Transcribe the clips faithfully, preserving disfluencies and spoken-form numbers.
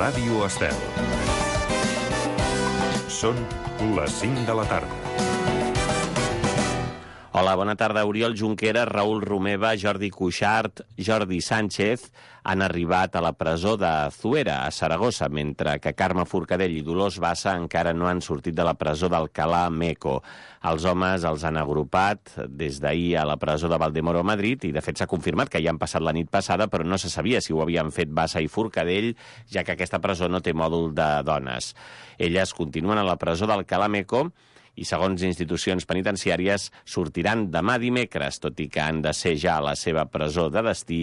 Ràdio Estel. Són les cinc de la tarda. Hola, bona tarda. Oriol Junqueras, Raül Romeva, Jordi Cuixart, Jordi Sánchez han arribat a la presó de Zuera, a Saragossa, mentre que Carme Forcadell i Dolors Bassa encara no han sortit de la presó d'Alcalá Meco. Els homes els han agrupat des d'ahir a la presó de Valdemoro a Madrid i, de fet, s'ha confirmat que ja han passat la nit passada, però no se sabia si ho havien fet Bassa i Forcadell, ja que aquesta presó no té mòdul de dones. Elles continuen a la presó d'Alcalá Meco i, segons institucions penitenciàries, sortiran demà dimecres, tot i que han de ser ja a la seva presó de destí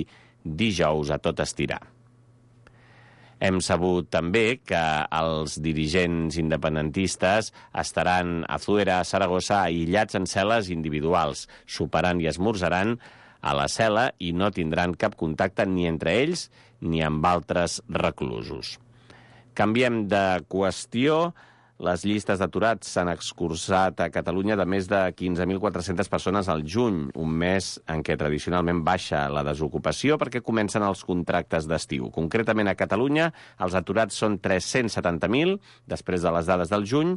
dijous a tot estirar. Hem sabut també que els dirigents independentistes estaran a Zuera, a Saragossa, aïllats en cel·les individuals, soparan i esmorzaran a la cel·la i no tindran cap contacte ni entre ells ni amb altres reclusos. Canviem de qüestió. Les llistes d'aturats s'han excursat a Catalunya de més de quinze mil quatre-centes persones al juny, un mes en què tradicionalment baixa la desocupació perquè comencen els contractes d'estiu. Concretament a Catalunya, els aturats són tres-cents setanta mil, després de les dades del juny,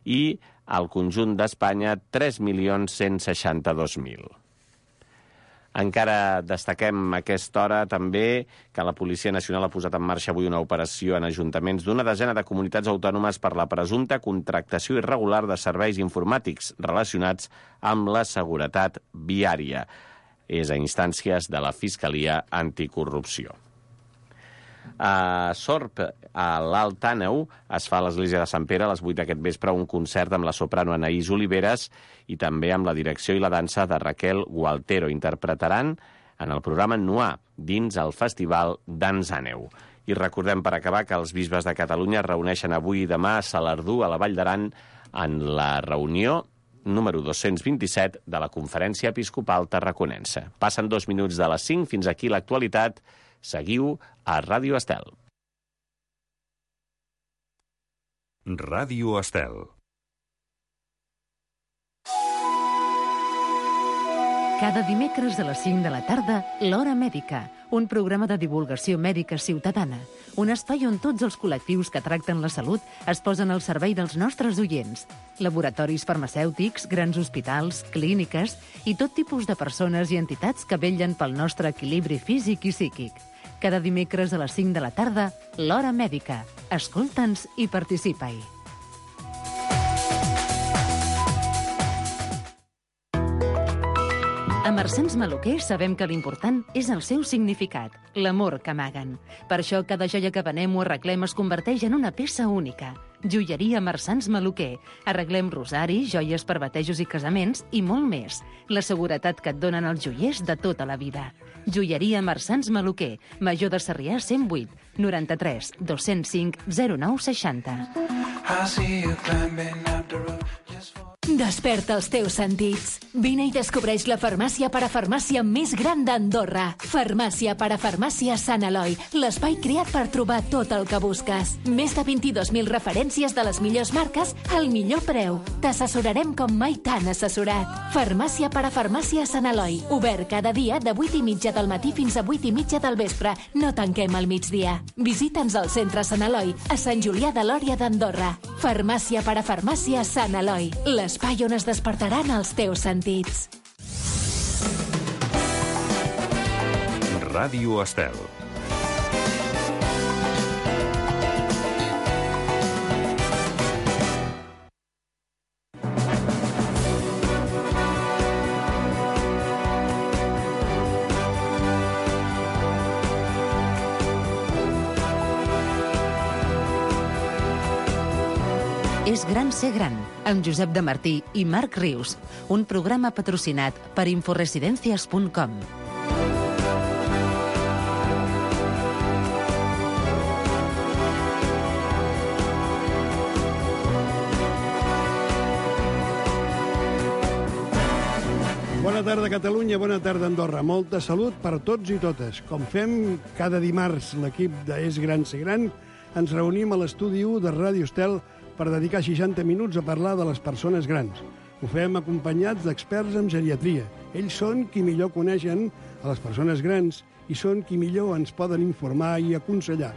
i al conjunt d'Espanya tres milions cent seixanta-dos mil. Encara destaquem a aquesta hora també que la Policia Nacional ha posat en marxa avui una operació en ajuntaments d'una desena de comunitats autònomes per la presumpta contractació irregular de serveis informàtics relacionats amb la seguretat viària. És a instàncies de la Fiscalia Anticorrupció. A Sorp, a l'Alt Àneu, es fa a l'església de Sant Pere a les vuit d'aquest vespre un concert amb la soprano Anaïs Oliveres i també amb la direcció i la dansa de Raquel Gualtero. Interpretaran en el programa Noir, dins el Festival Dans Àneu. I recordem, per acabar, que els bisbes de Catalunya es reuneixen avui i demà a Salardú, a la Vall d'Aran, en la reunió número dos-cents vint-i-set de la Conferència Episcopal Tarraconense. Passen dos minuts de les cinc, fins aquí l'actualitat. Seguiu a Ràdio Estel. Ràdio Estel. Cada dimecres a les cinc de la tarda, l'Hora Mèdica, un programa de divulgació mèdica ciutadana, un espai on tots els col·lectius que tracten la salut es posen al servei dels nostres oients. Laboratoris farmacèutics, grans hospitals, clíniques i tot tipus de persones i entitats que vetllen pel nostre equilibri físic i psíquic. Cada dimecres a les cinc de la tarda, l'Hora Mèdica. Escolta'ns i participa-hi. A Marsans Maluquer sabem que l'important és el seu significat, l'amor que amaguen. Per això cada joia que venem o arreglem es converteix en una peça única. Joieria Marsans Maluquer. Arreglem rosaris, joies per batejos i casaments i molt més. La seguretat que et donen els joiers de tota la vida. Joieria Marsans Maluquer. Major de Sarrià cent vuit, noranta-tres, dos-cents cinc, zero nou seixanta. Desperta els teus sentits. Vine i descobreix la farmàcia parafarmàcia més gran d'Andorra. Farmàcia parafarmàcia Sant Eloi, l'espai creat per trobar tot el que busques. Més de vint-i-dos mil referències de les millors marques al millor preu. T'assessorarem com mai t'han assessorat. Farmàcia parafarmàcia Sant Eloi, obert cada dia de vuit i mitja del matí fins a vuit i mitja del vespre. No tanquem al migdia. Visita'ns al centre Sant Eloi, a Sant Julià de Lòria d'Andorra. Farmàcia parafarmàcia Sant Eloi, l'espai on es despertaran els teus sentits. Ràdio Estel. És gran ser gran, amb Josep de Martí i Marc Rius, un programa patrocinat per Inforesidencias punt com. Bona tarda, Catalunya, bona tarda, Andorra. Molta salut per tots i totes. Com fem cada dimarts, l'equip de És Gran Ser Gran, ens reunim a l'estudi u de Ràdio Estel per dedicar seixanta minuts a parlar de les persones grans. Ho fem acompanyats d'experts en geriatria. Ells són qui millor coneixen a les persones grans i són qui millor ens poden informar i aconsellar.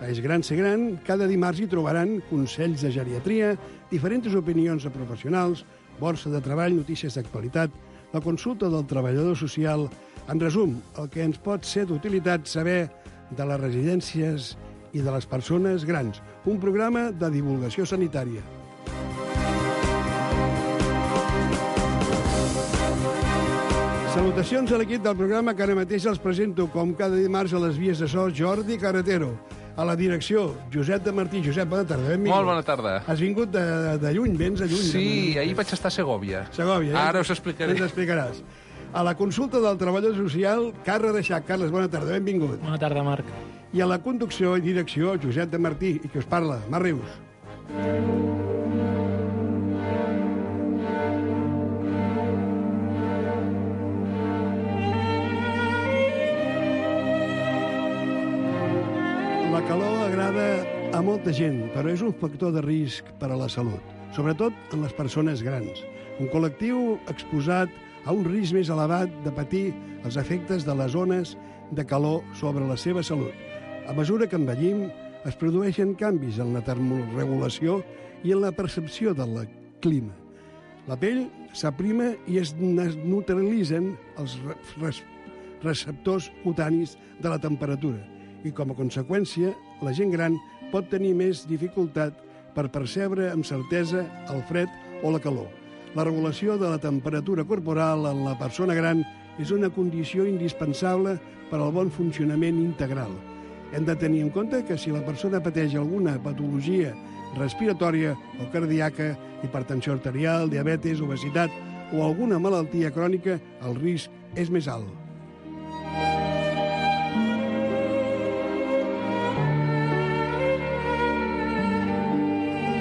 A És Gran Ser Gran, cada dimarts hi trobaran consells de geriatria, diferents opinions de professionals, borsa de treball, notícies d'actualitat, la consulta del treballador social. En resum, el que ens pot ser d'utilitat saber de les residències i de les persones grans. Un programa de divulgació sanitària. Salutacions a l'equip del programa que ara mateix els presento com cada dimarts a les vies de so, Jordi Carretero. A la direcció, Josep de Martí. Josep, bona tarda. Benvingut. Molt bona tarda. Has vingut de, de lluny, vens de lluny. Sí, de ahir vaig estar a Segòvia. Segòvia, eh? Ara us explicaré. Ens explicaràs. A la consulta del treballador social, Carles Reixac. Carles, bona tarda, benvingut. Bona tarda, Marc. I a la conducció i direcció, Josep de Martí, i qui us parla, Marc Rius. La calor agrada a molta gent, però és un factor de risc per a la salut, sobretot en les persones grans. Un col·lectiu exposat a un risc més elevat de patir els efectes de les ones de calor sobre la seva salut. A mesura que envellim, es produeixen canvis en la termorregulació i en la percepció del clima. La pell s'aprima i es neutralitzen els receptors cutanis de la temperatura, i com a conseqüència, la gent gran pot tenir més dificultat per percebre amb certesa el fred o la calor. La regulació de la temperatura corporal en la persona gran és una condició indispensable per al bon funcionament integral. Hem de tenir en compte que si la persona pateix alguna patologia respiratòria o cardíaca, hipertensió arterial, diabetes, obesitat o alguna malaltia crònica, el risc és més alt.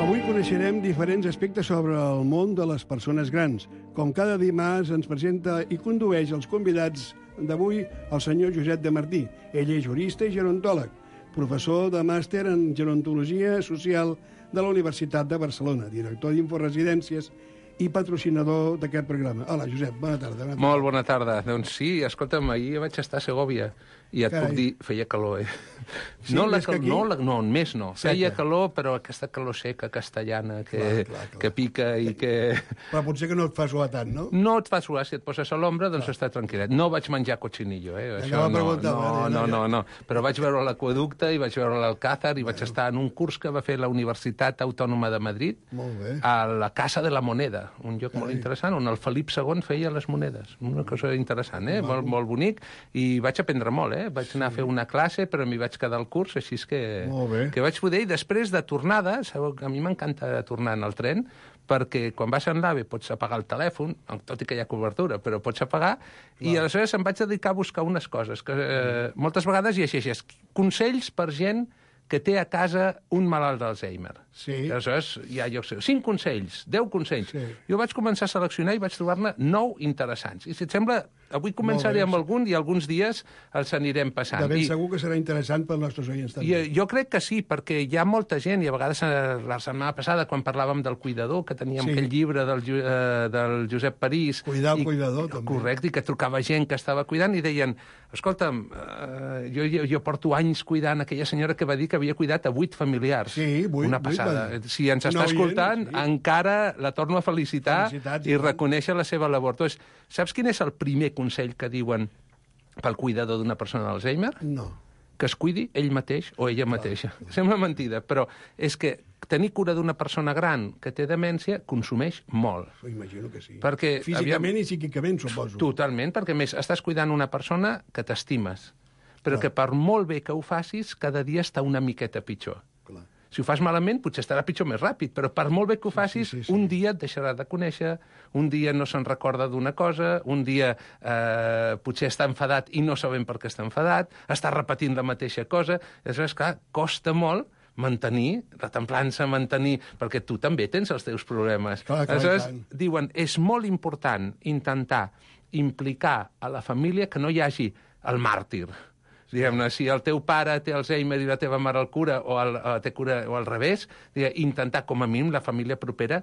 Avui coneixerem diferents aspectes sobre el món de les persones grans. Com cada dimarts ens presenta i condueix els convidats d'avui el senyor Josep de Martí. Ell és jurista i gerontòleg, professor de màster en gerontologia social de la Universitat de Barcelona, director d'Inforesidències i patrocinador d'aquest programa. Hola, Josep, bona tarda. Bona tarda. Molt bona tarda. Doncs sí, escolta'm, ahir vaig estar a Segòvia i et Carai. puc dir, feia calor, eh? Sí, no, la més que cal... aquí? no, la... no, més no. Seca. Feia calor, però aquesta calor seca castellana que, Clar, clar, clar. que pica i que... Però potser que no et fa suar tant, no? No et fa suar, si et poses a l'ombra, doncs està tranquil·let. No vaig menjar cochinillo, eh? Anava a no, preguntar, no, va, no, ja. no, no. Però vaig veure l'aqüeducte i vaig veure l'Alcázar i vaig estar en un curs que va fer la Universitat Autònoma de Madrid Molt bé. a la Casa de la Moneda, un lloc molt interessant, on el Felip segon feia les monedes. Una cosa interessant, eh? Molt, molt bonic. I vaig aprendre molt, eh? Vaig anar a fer una classe, però m'hi vaig quedar al curs, així és que, Molt bé. que vaig poder. I després de tornada, sabeu que a mi m'encanta tornar en el tren, perquè quan vas en l'AVE pots apagar el telèfon, tot i que hi ha cobertura, però pots apagar, i aleshores em vaig dedicar a buscar unes coses, que eh, moltes vegades llegeixes consells per gent que té a casa un malalt d'Alzheimer. Sí. I aleshores, ja jo sé, cinc consells, deu consells. Sí. Jo vaig començar a seleccionar i vaig trobar-ne nou interessants. I si et sembla, avui començaré bé. amb algun i alguns dies els anirem passant. De ben I, segur que serà interessant pels nostres oients i també. eh, jo crec que sí, perquè hi ha molta gent, i a vegades eh, la setmana passada, quan parlàvem del cuidador, que teníem Sí. aquell llibre del, Ju- eh, del Josep París... Cuidar el i, cuidador, també. Correcte, i que trucava gent que estava cuidant i deien, escolta'm, eh, jo, jo, jo porto anys cuidant aquella senyora que va dir que havia cuidat a vuit familiars. Sí, vuit, Una vuit, passada. va dir. Si ens Un està oient, escoltant, sí. encara la torno a felicitar Felicitats, i i tant. reconèixer la seva labor. Doncs, saps quin és el primer consell que diuen pel cuidador d'una persona d'Alzheimer? No. Que es cuidi ell mateix o ella mateixa. Sembla mentida, però és que tenir cura d'una persona gran que té demència consumeix molt. Ho imagino que sí. Perquè, Físicament aviam, i psíquicament, suposo. Totalment, perquè a més estàs cuidant una persona que t'estimes, però que per molt bé que ho facis, cada dia està una miqueta pitjor. Clar. Si ho fas malament, potser estarà pitjor més ràpid, però per molt bé que ho facis, sí, sí, sí. un dia et deixarà de conèixer, un dia no se'n recorda d'una cosa, un dia eh, potser està enfadat i no sabem per què està enfadat, està repetint la mateixa cosa. Aleshores, clar, costa molt mantenir la templança, mantenir... Perquè tu també tens els teus problemes. Clar, clar, Aleshores, i tant. diuen, és molt important intentar implicar a la família que no hi hagi el màrtir. Diguem-ne, si el teu pare té Alzheimer i la teva mare el cura, o, el, o té cura, o al revés, diguem, intentar, com a mínim, la família propera,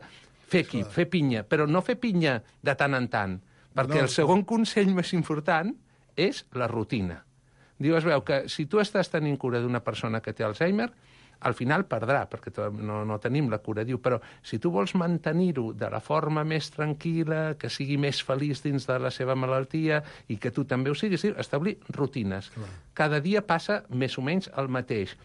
fer equip, fer pinya, però no fer pinya de tant en tant, perquè No, el segon consell més important és la rutina. Diu, es veu que si tu estàs tenint cura d'una persona que té Alzheimer, al final perdrà, perquè no, no tenim la cura. Diu, però si tu vols mantenir-ho de la forma més tranquil·la, que sigui més feliç dins de la seva malaltia i que tu també ho siguis, establir rutines. Clar. Cada dia passa més o menys el mateix.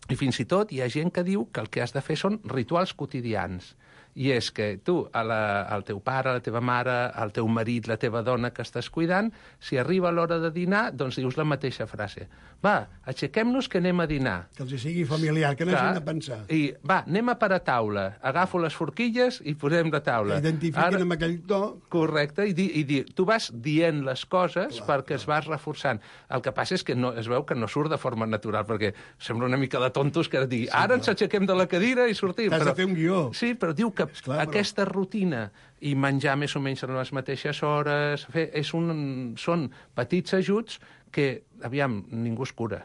I fins i tot hi ha gent que diu que el que has de fer són rituals quotidians. I és que tu, a la, al teu pare, a la teva mare, al teu marit, la teva dona que estàs cuidant, si arriba l'hora de dinar, doncs dius la mateixa frase. Va, aixequem-nos que anem a dinar. Que els sigui familiar, que no hagin de pensar. I va, anem a per a taula. Agafo les forquilles i posem la taula. Que identifiquen Ara, amb aquell to. Correcte, i, di, i di, tu vas dient les coses clar, perquè clar. es vas reforçant. El que passa és que no, es veu que no surt de forma natural, perquè sembla una mica de tontos que digui, sí, ara ens aixequem de la cadira i sortim. T'has però, de fer un guió. Sí, però diu que Esclar, aquesta però... rutina i menjar més o menys a les mateixes hores, fer, és un, són petits ajuts que, aviam, ningú es cura.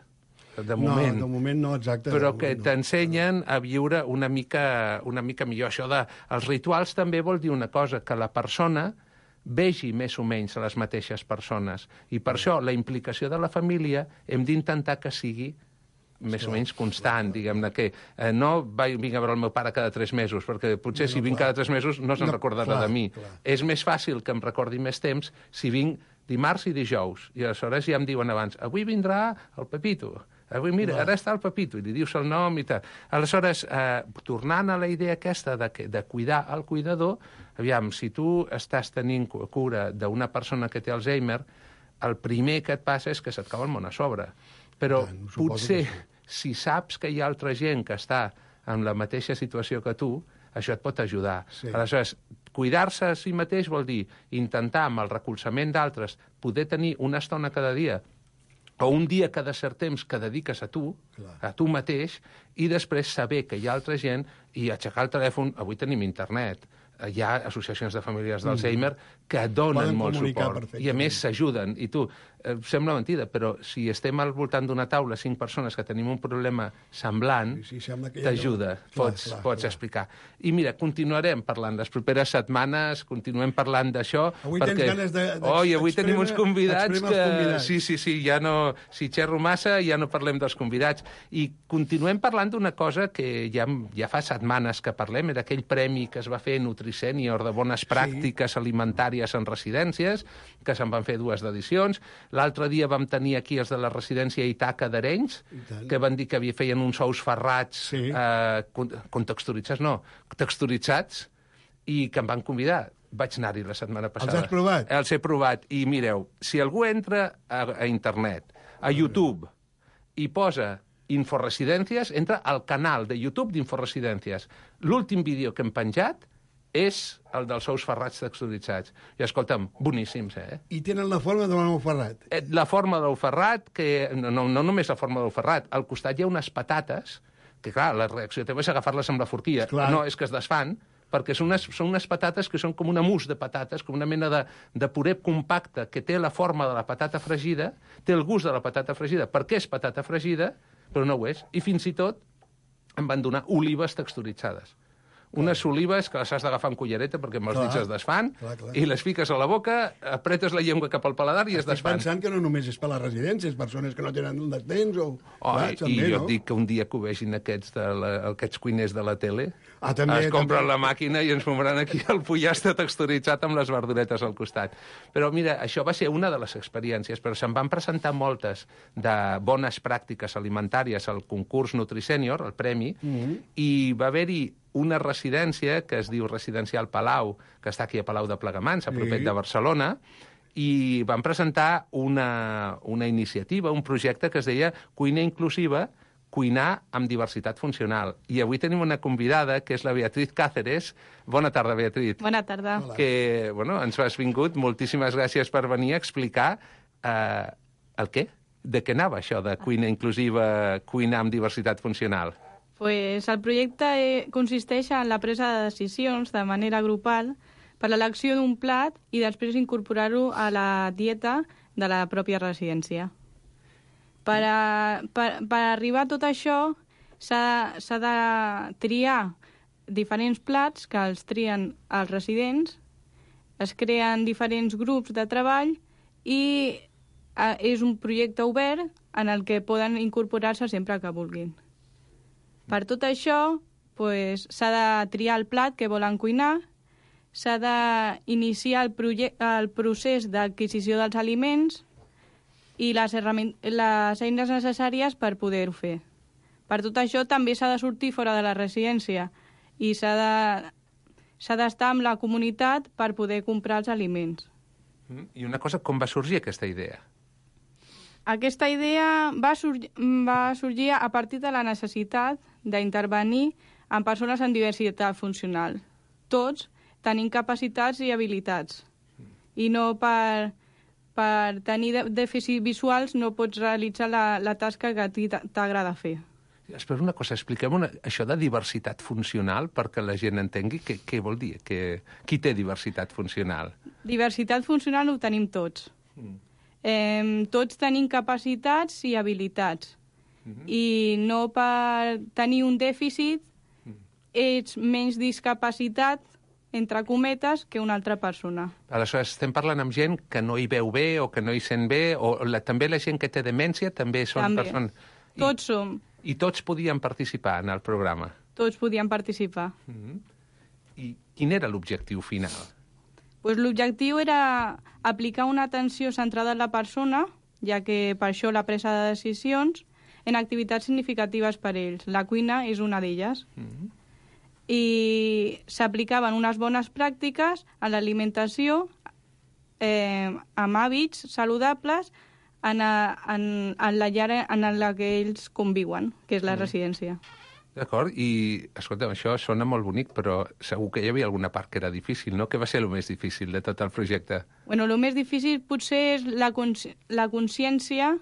De moment. No, de moment no, exacte. Però que no. t'ensenyen a viure una mica, una mica millor. Això de... Els rituals també vol dir una cosa, que la persona vegi més o menys les mateixes persones. I per això la implicació de la família hem d'intentar que sigui més clar, o menys constant, diguem-ne, que eh, no vinc a veure el meu pare cada tres mesos, perquè potser no, si vinc clar. cada tres mesos no se'n no, recordarà clar, de mi. Clar. És més fàcil que em recordi més temps si vinc dimarts i dijous, i aleshores ja em diuen abans, avui vindrà el Pepito, avui, mira, clar. ara està el Pepito, i li dius el nom i tal. Aleshores, eh, tornant a la idea aquesta de, que, de cuidar el cuidador, aviam, si tu estàs tenint cura d'una persona que té Alzheimer, el primer que et passa és que se't cau el món a sobre. Però tant, potser, si saps que hi ha altra gent que està en la mateixa situació que tu, això et pot ajudar. Sí. Aleshores, cuidar-se a si mateix vol dir intentar, amb el recolzament d'altres, poder tenir una estona cada dia o un dia cada cert temps que dediques a tu, clar. a tu mateix, i després saber que hi ha altra gent i aixecar el telèfon. Avui tenim internet. Hi ha associacions de famílies d'Alzheimer que donen molt suport i a més s'ajuden. I tu, eh, sembla mentida, però si estem al voltant d'una taula cinc persones que tenim un problema semblant, sí, sí, t'ajuda, no... pots, clar, pots clar. explicar. I mira, continuarem parlant les properes setmanes, continuem parlant d'això. Avui perquè... tens ganes de... Oh, i avui tenim uns convidats que... Convidats. Sí, sí, sí, ja no... Si xerro massa, ja no parlem dels convidats. I continuem parlant d'una cosa que ja, ja fa setmanes que parlem, era aquell premi que es va fer Nutri-Sènior de bones pràctiques sí. alimentàries en residències, que se'n van fer dues edicions. L'altre dia vam tenir aquí els de la residència Itaca d'Arenys, que van dir que havia feien uns ous ferrats sí. eh, contexturitzats, no, texturitzats, i que em van convidar. Vaig anar-hi la setmana passada. Els has provat? Els he provat. I mireu, si algú entra a, a internet, a YouTube, i posa Inforesidències, entra al canal de YouTube d'Inforesidències. L'últim vídeo que hem penjat és el dels ous ferrats texturitzats. I escolta'm, boníssims, eh? I tenen la forma de l'ou ferrat. La forma de l'ou ferrat, que no, no, no només la forma de l'ou ferrat, al costat hi ha unes patates, que clar, la reacció teva és agafar-les amb la forquilla. Esclar. No, és que es desfan, perquè són unes, són unes patates que són com una mousse de patates, com una mena de, de puré compacte que té la forma de la patata fregida, té el gust de la patata fregida, perquè és patata fregida, però no ho és. I fins i tot em van donar olives texturitzades. Unes olives que les has d'agafar amb cullereta perquè amb els dits es desfan, clar, clar. i les fiques a la boca, apretes la llengua cap al paladar i es desfan. Estic pensant que no només és per les residències, persones que no tenen un temps o... Oh, clar, i també, jo no? dic que un dia que ho vegin aquests, de la, aquests cuiners de la tele, ah, també, es compren també. la màquina i ens fumaran aquí el pollastre texturitzat amb les verduretes al costat. Però mira, això va ser una de les experiències, però se'n van presentar moltes de bones pràctiques alimentàries al concurs Nutri-Sènior, el premi, mm-hmm. i va haver-hi una residència que es diu Residencial Palau, que està aquí a Palau de Plegamans, a propet sí. de Barcelona, i van presentar una, una iniciativa, un projecte que es deia Cuina Inclusiva, cuinar amb diversitat funcional. I avui tenim una convidada, que és la Beatriz Cáceres. Bona tarda, Beatriz. Bona tarda. Hola. Que, bueno, ens has vingut. Moltíssimes gràcies per venir a explicar eh, el què? De què anava això de cuina inclusiva, cuinar amb diversitat funcional? Pues el projecte consisteix en la presa de decisions de manera grupal per l'elecció d'un plat i després incorporar-ho a la dieta de la pròpia residència. Per, a, per, per arribar a tot això s'ha de triar diferents plats que els trien els residents, es creen diferents grups de treball i és un projecte obert en el que poden incorporar-se sempre que vulguin. Per tot això, pues, s'ha de triar el plat que volen cuinar, s'ha d'iniciar el, el procés d'adquisició dels aliments i les, les eines necessàries per poder-ho fer. Per tot això també s'ha de sortir fora de la residència i s'ha de, s'ha d'estar amb la comunitat per poder comprar els aliments. I una cosa, com va sorgir aquesta idea? Aquesta idea va, sur va sorgir a partir de la necessitat d'intervenir en persones amb diversitat funcional. Tots tenim capacitats i habilitats. I no per, per tenir dèficits visuals no pots realitzar la, la tasca que a ti t'agrada fer. Espera una cosa, expliquem una, això de diversitat funcional perquè la gent entengui què, què vol dir. Que, qui té diversitat funcional? Diversitat funcional ho tenim tots. Mm. Eh, tots tenim capacitats i habilitats. Mm-hmm. I no per tenir un dèficit mm. ets menys discapacitat, entre cometes, que una altra persona. Aleshores, estem parlant amb gent que no hi veu bé o que no hi sent bé, o la, també la gent que té demència també són també. persones... I, tots som. I tots podien participar en el programa? Tots podien participar. Mm-hmm. I quin era l'objectiu final? Pues l'objectiu era aplicar una atenció centrada en la persona, ja que per això la presa de decisions, en activitats significatives per ells. La cuina és una d'elles. Mm-hmm. I s'aplicaven unes bones pràctiques a l'alimentació eh, amb hàbits saludables en, a, en, en la llar en la que ells conviuen, que és la mm. residència. D'acord, i escolta'm, això sona molt bonic, però segur que hi havia alguna part que era difícil, no? Què va ser el més difícil de tot el projecte? Bueno, el més difícil potser és la, consci la consciència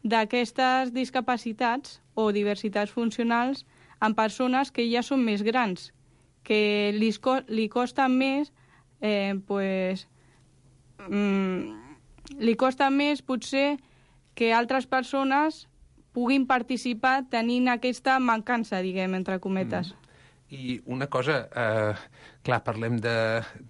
d'aquestes discapacitats o diversitats funcionals en persones que ja són més grans, que li, co li costa més, eh, pues, mm, li costa més potser que altres persones puguin participar tenint aquesta mancança, diguem, entre cometes. Mm. I una cosa, eh, clar, parlem de,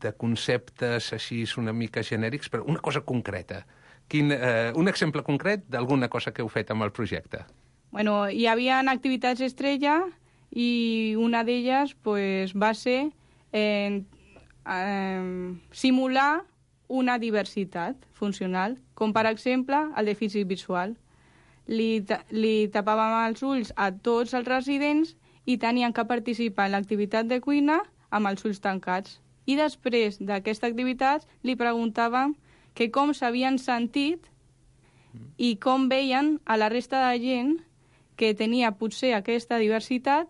de conceptes així una mica genèrics, però una cosa concreta. Quin, eh, un exemple concret d'alguna cosa que heu fet amb el projecte? Bueno, hi havia activitats estrella i una d'elles pues, va ser eh, eh, simular una diversitat funcional, com per exemple el dèficit visual. Li, li tapàvem els ulls a tots els residents i tenien que participar en l'activitat de cuina amb els ulls tancats. I després d'aquesta activitat li preguntàvem que com s'havien sentit i com veien a la resta de gent que tenia potser aquesta diversitat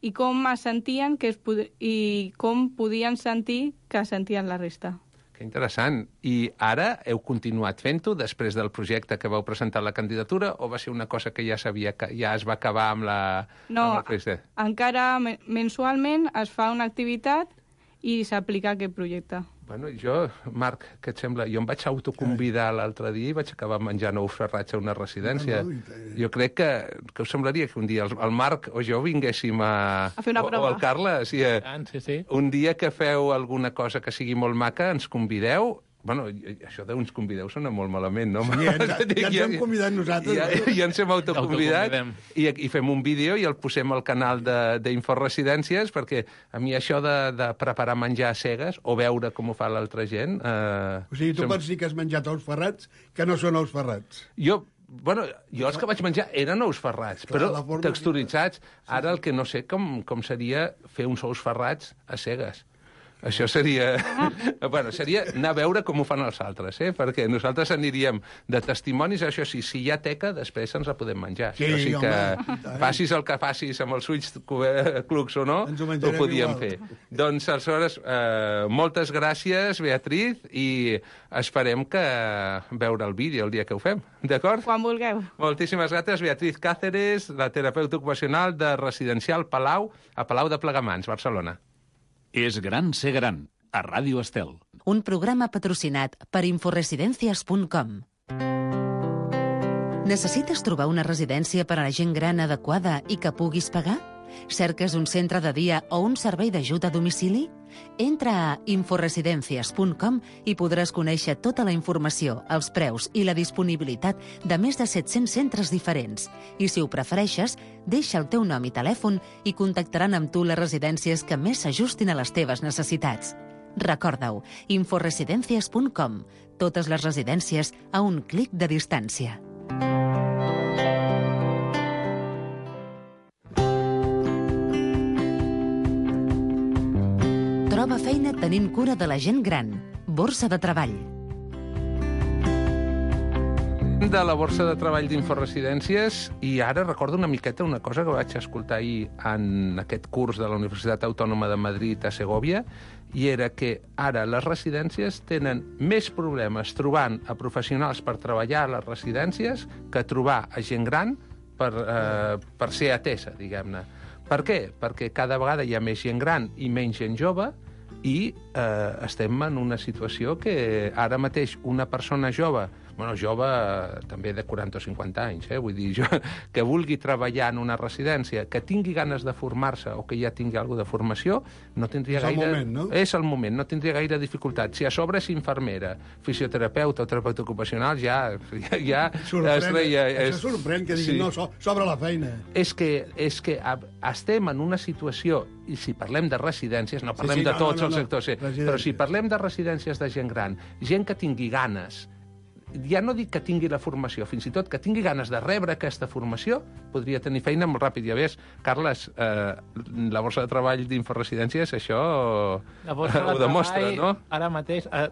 i com es sentien que es i com podien sentir que sentien la resta. Que interessant. I ara heu continuat fent-ho després del projecte que vau presentar la candidatura o va ser una cosa que ja sabia que ja es va acabar amb la... No, amb el projecte? Encara mensualment es fa una activitat i s'aplica aquest projecte. Bueno, jo, Marc, què et sembla? Jo em vaig autoconvidar l'altre dia i vaig acabar menjant ous ferrats a una residència. Jo crec que, que us semblaria que un dia el, el Marc o jo vinguéssim a... A fer una prova. O, o el Carles. Sí, sí, sí. Un dia que feu alguna cosa que sigui molt maca, ens convideu. Bueno, això d'uns convideu sona molt malament, no? Sí, ja, ja, ja ens hem convidat nosaltres. Ja, ja ens hem autoconvidat i, i fem un vídeo i el posem al canal d'Inforesidències perquè a mi això de, de preparar menjar a cegues o veure com ho fa l'altra gent... Eh, o sigui, tu som... pots dir que has menjat ous ferrats que no són ous ferrats. Jo... Bueno, jo els que vaig menjar eren ous ferrats, clar, però texturitzats. Ara el que no sé com, com seria fer uns ous ferrats a cegues. Això seria... bueno, seria anar a veure com ho fan els altres, eh? Perquè nosaltres aniríem de testimonis, això sí, si hi ha teca, després ens la podem menjar. Sí, o sigui home, que facis el que facis amb els ulls clucs o no, ho, ho podíem igual. fer. Doncs, aleshores, eh, moltes gràcies, Beatriz, i esperem que veure el vídeo el dia que ho fem, d'acord? Quan vulgueu. Moltíssimes gràcies, Beatriz Cáceres, la terapeuta ocupacional de Residencial Palau, a Palau de Plegamans, Barcelona. És gran ser gran, a Ràdio Estel. Un programa patrocinat per Inforesidencias punt com. Necessites trobar una residència per a la gent gran adequada i que puguis pagar? Cerques un centre de dia o un servei d'ajuda a domicili? Entra a inforesidencias punt com i podràs conèixer tota la informació, els preus i la disponibilitat de més de set-cents centres diferents. I si ho prefereixes, deixa el teu nom i telèfon i contactaran amb tu les residències que més s'ajustin a les teves necessitats. Recorda-ho, inforesidencias punt com. Totes les residències a un clic de distància. Troba feina tenint cura de la gent gran. Borsa de treball. De la borsa de treball d'Inforesidències, i ara recordo una miqueta una cosa que vaig escoltar ahir en aquest curs de la Universitat Autònoma de Madrid a Segòvia, i era que ara les residències tenen més problemes trobant a professionals per treballar a les residències que trobar a gent gran per, eh, per ser atesa, diguem-ne. Per què? Perquè cada vegada hi ha més gent gran i menys gent jove, i eh, estem en una situació que ara mateix una persona jove, bueno, jove també de quaranta o cinquanta anys, eh? Vull dir, jo, que vulgui treballar en una residència, que tingui ganes de formar-se o que ja tingui alguna de formació, no tindria és gaire... És el moment, no? És el moment, no tindria gaire dificultat. Si a sobre és infermera, fisioterapeuta o terapeuta ocupacional, ja... ja, ja sorprèn, es reia, és... Això sorprèn que diguin, sí. No, so, s'obre la feina. És que, és que estem en una situació, i si parlem de residències, no parlem sí, sí, de no, tots no, no, els no. sectors, sí, però si parlem de residències de gent gran, gent que tingui ganes, ja no dic que tingui la formació, fins i tot que tingui ganes de rebre aquesta formació, podria tenir feina molt ràpid. Ja ves, Carles, eh, la borsa de treball d'Inforesidències, això la borsa ho de demostra, treball, no? Ara mateix eh,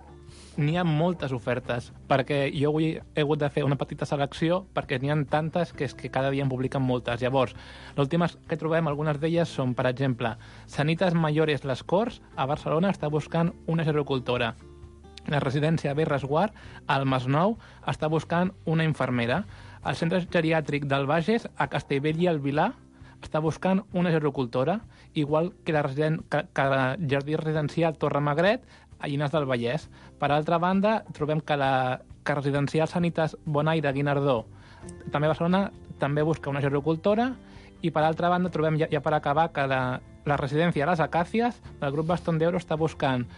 n'hi ha moltes ofertes, perquè jo avui he hagut de fer una petita selecció, perquè n'hi ha tantes que és que cada dia en publiquen moltes. Llavors, les últimes que trobem, algunes d'elles són, per exemple, Sanitas Mayores Les Corts, a Barcelona, està buscant una gerocultora. La residència B Resguard, al Masnou, està buscant una infermera. El centre geriàtric del Bages, a Castellbell i el Vilar, està buscant una gerocultora, igual que la, residen... que, que la jardí residencial Torre Magret, a Llinars del Vallès. Per altra banda, trobem que la que residencial Sanitas Bonaire Guinardó, també a Barcelona, també busca una gerocultora, i per altra banda trobem, ja, ja per acabar, que la, la residència Les Acàcies del grup Bastón d'Euro està buscant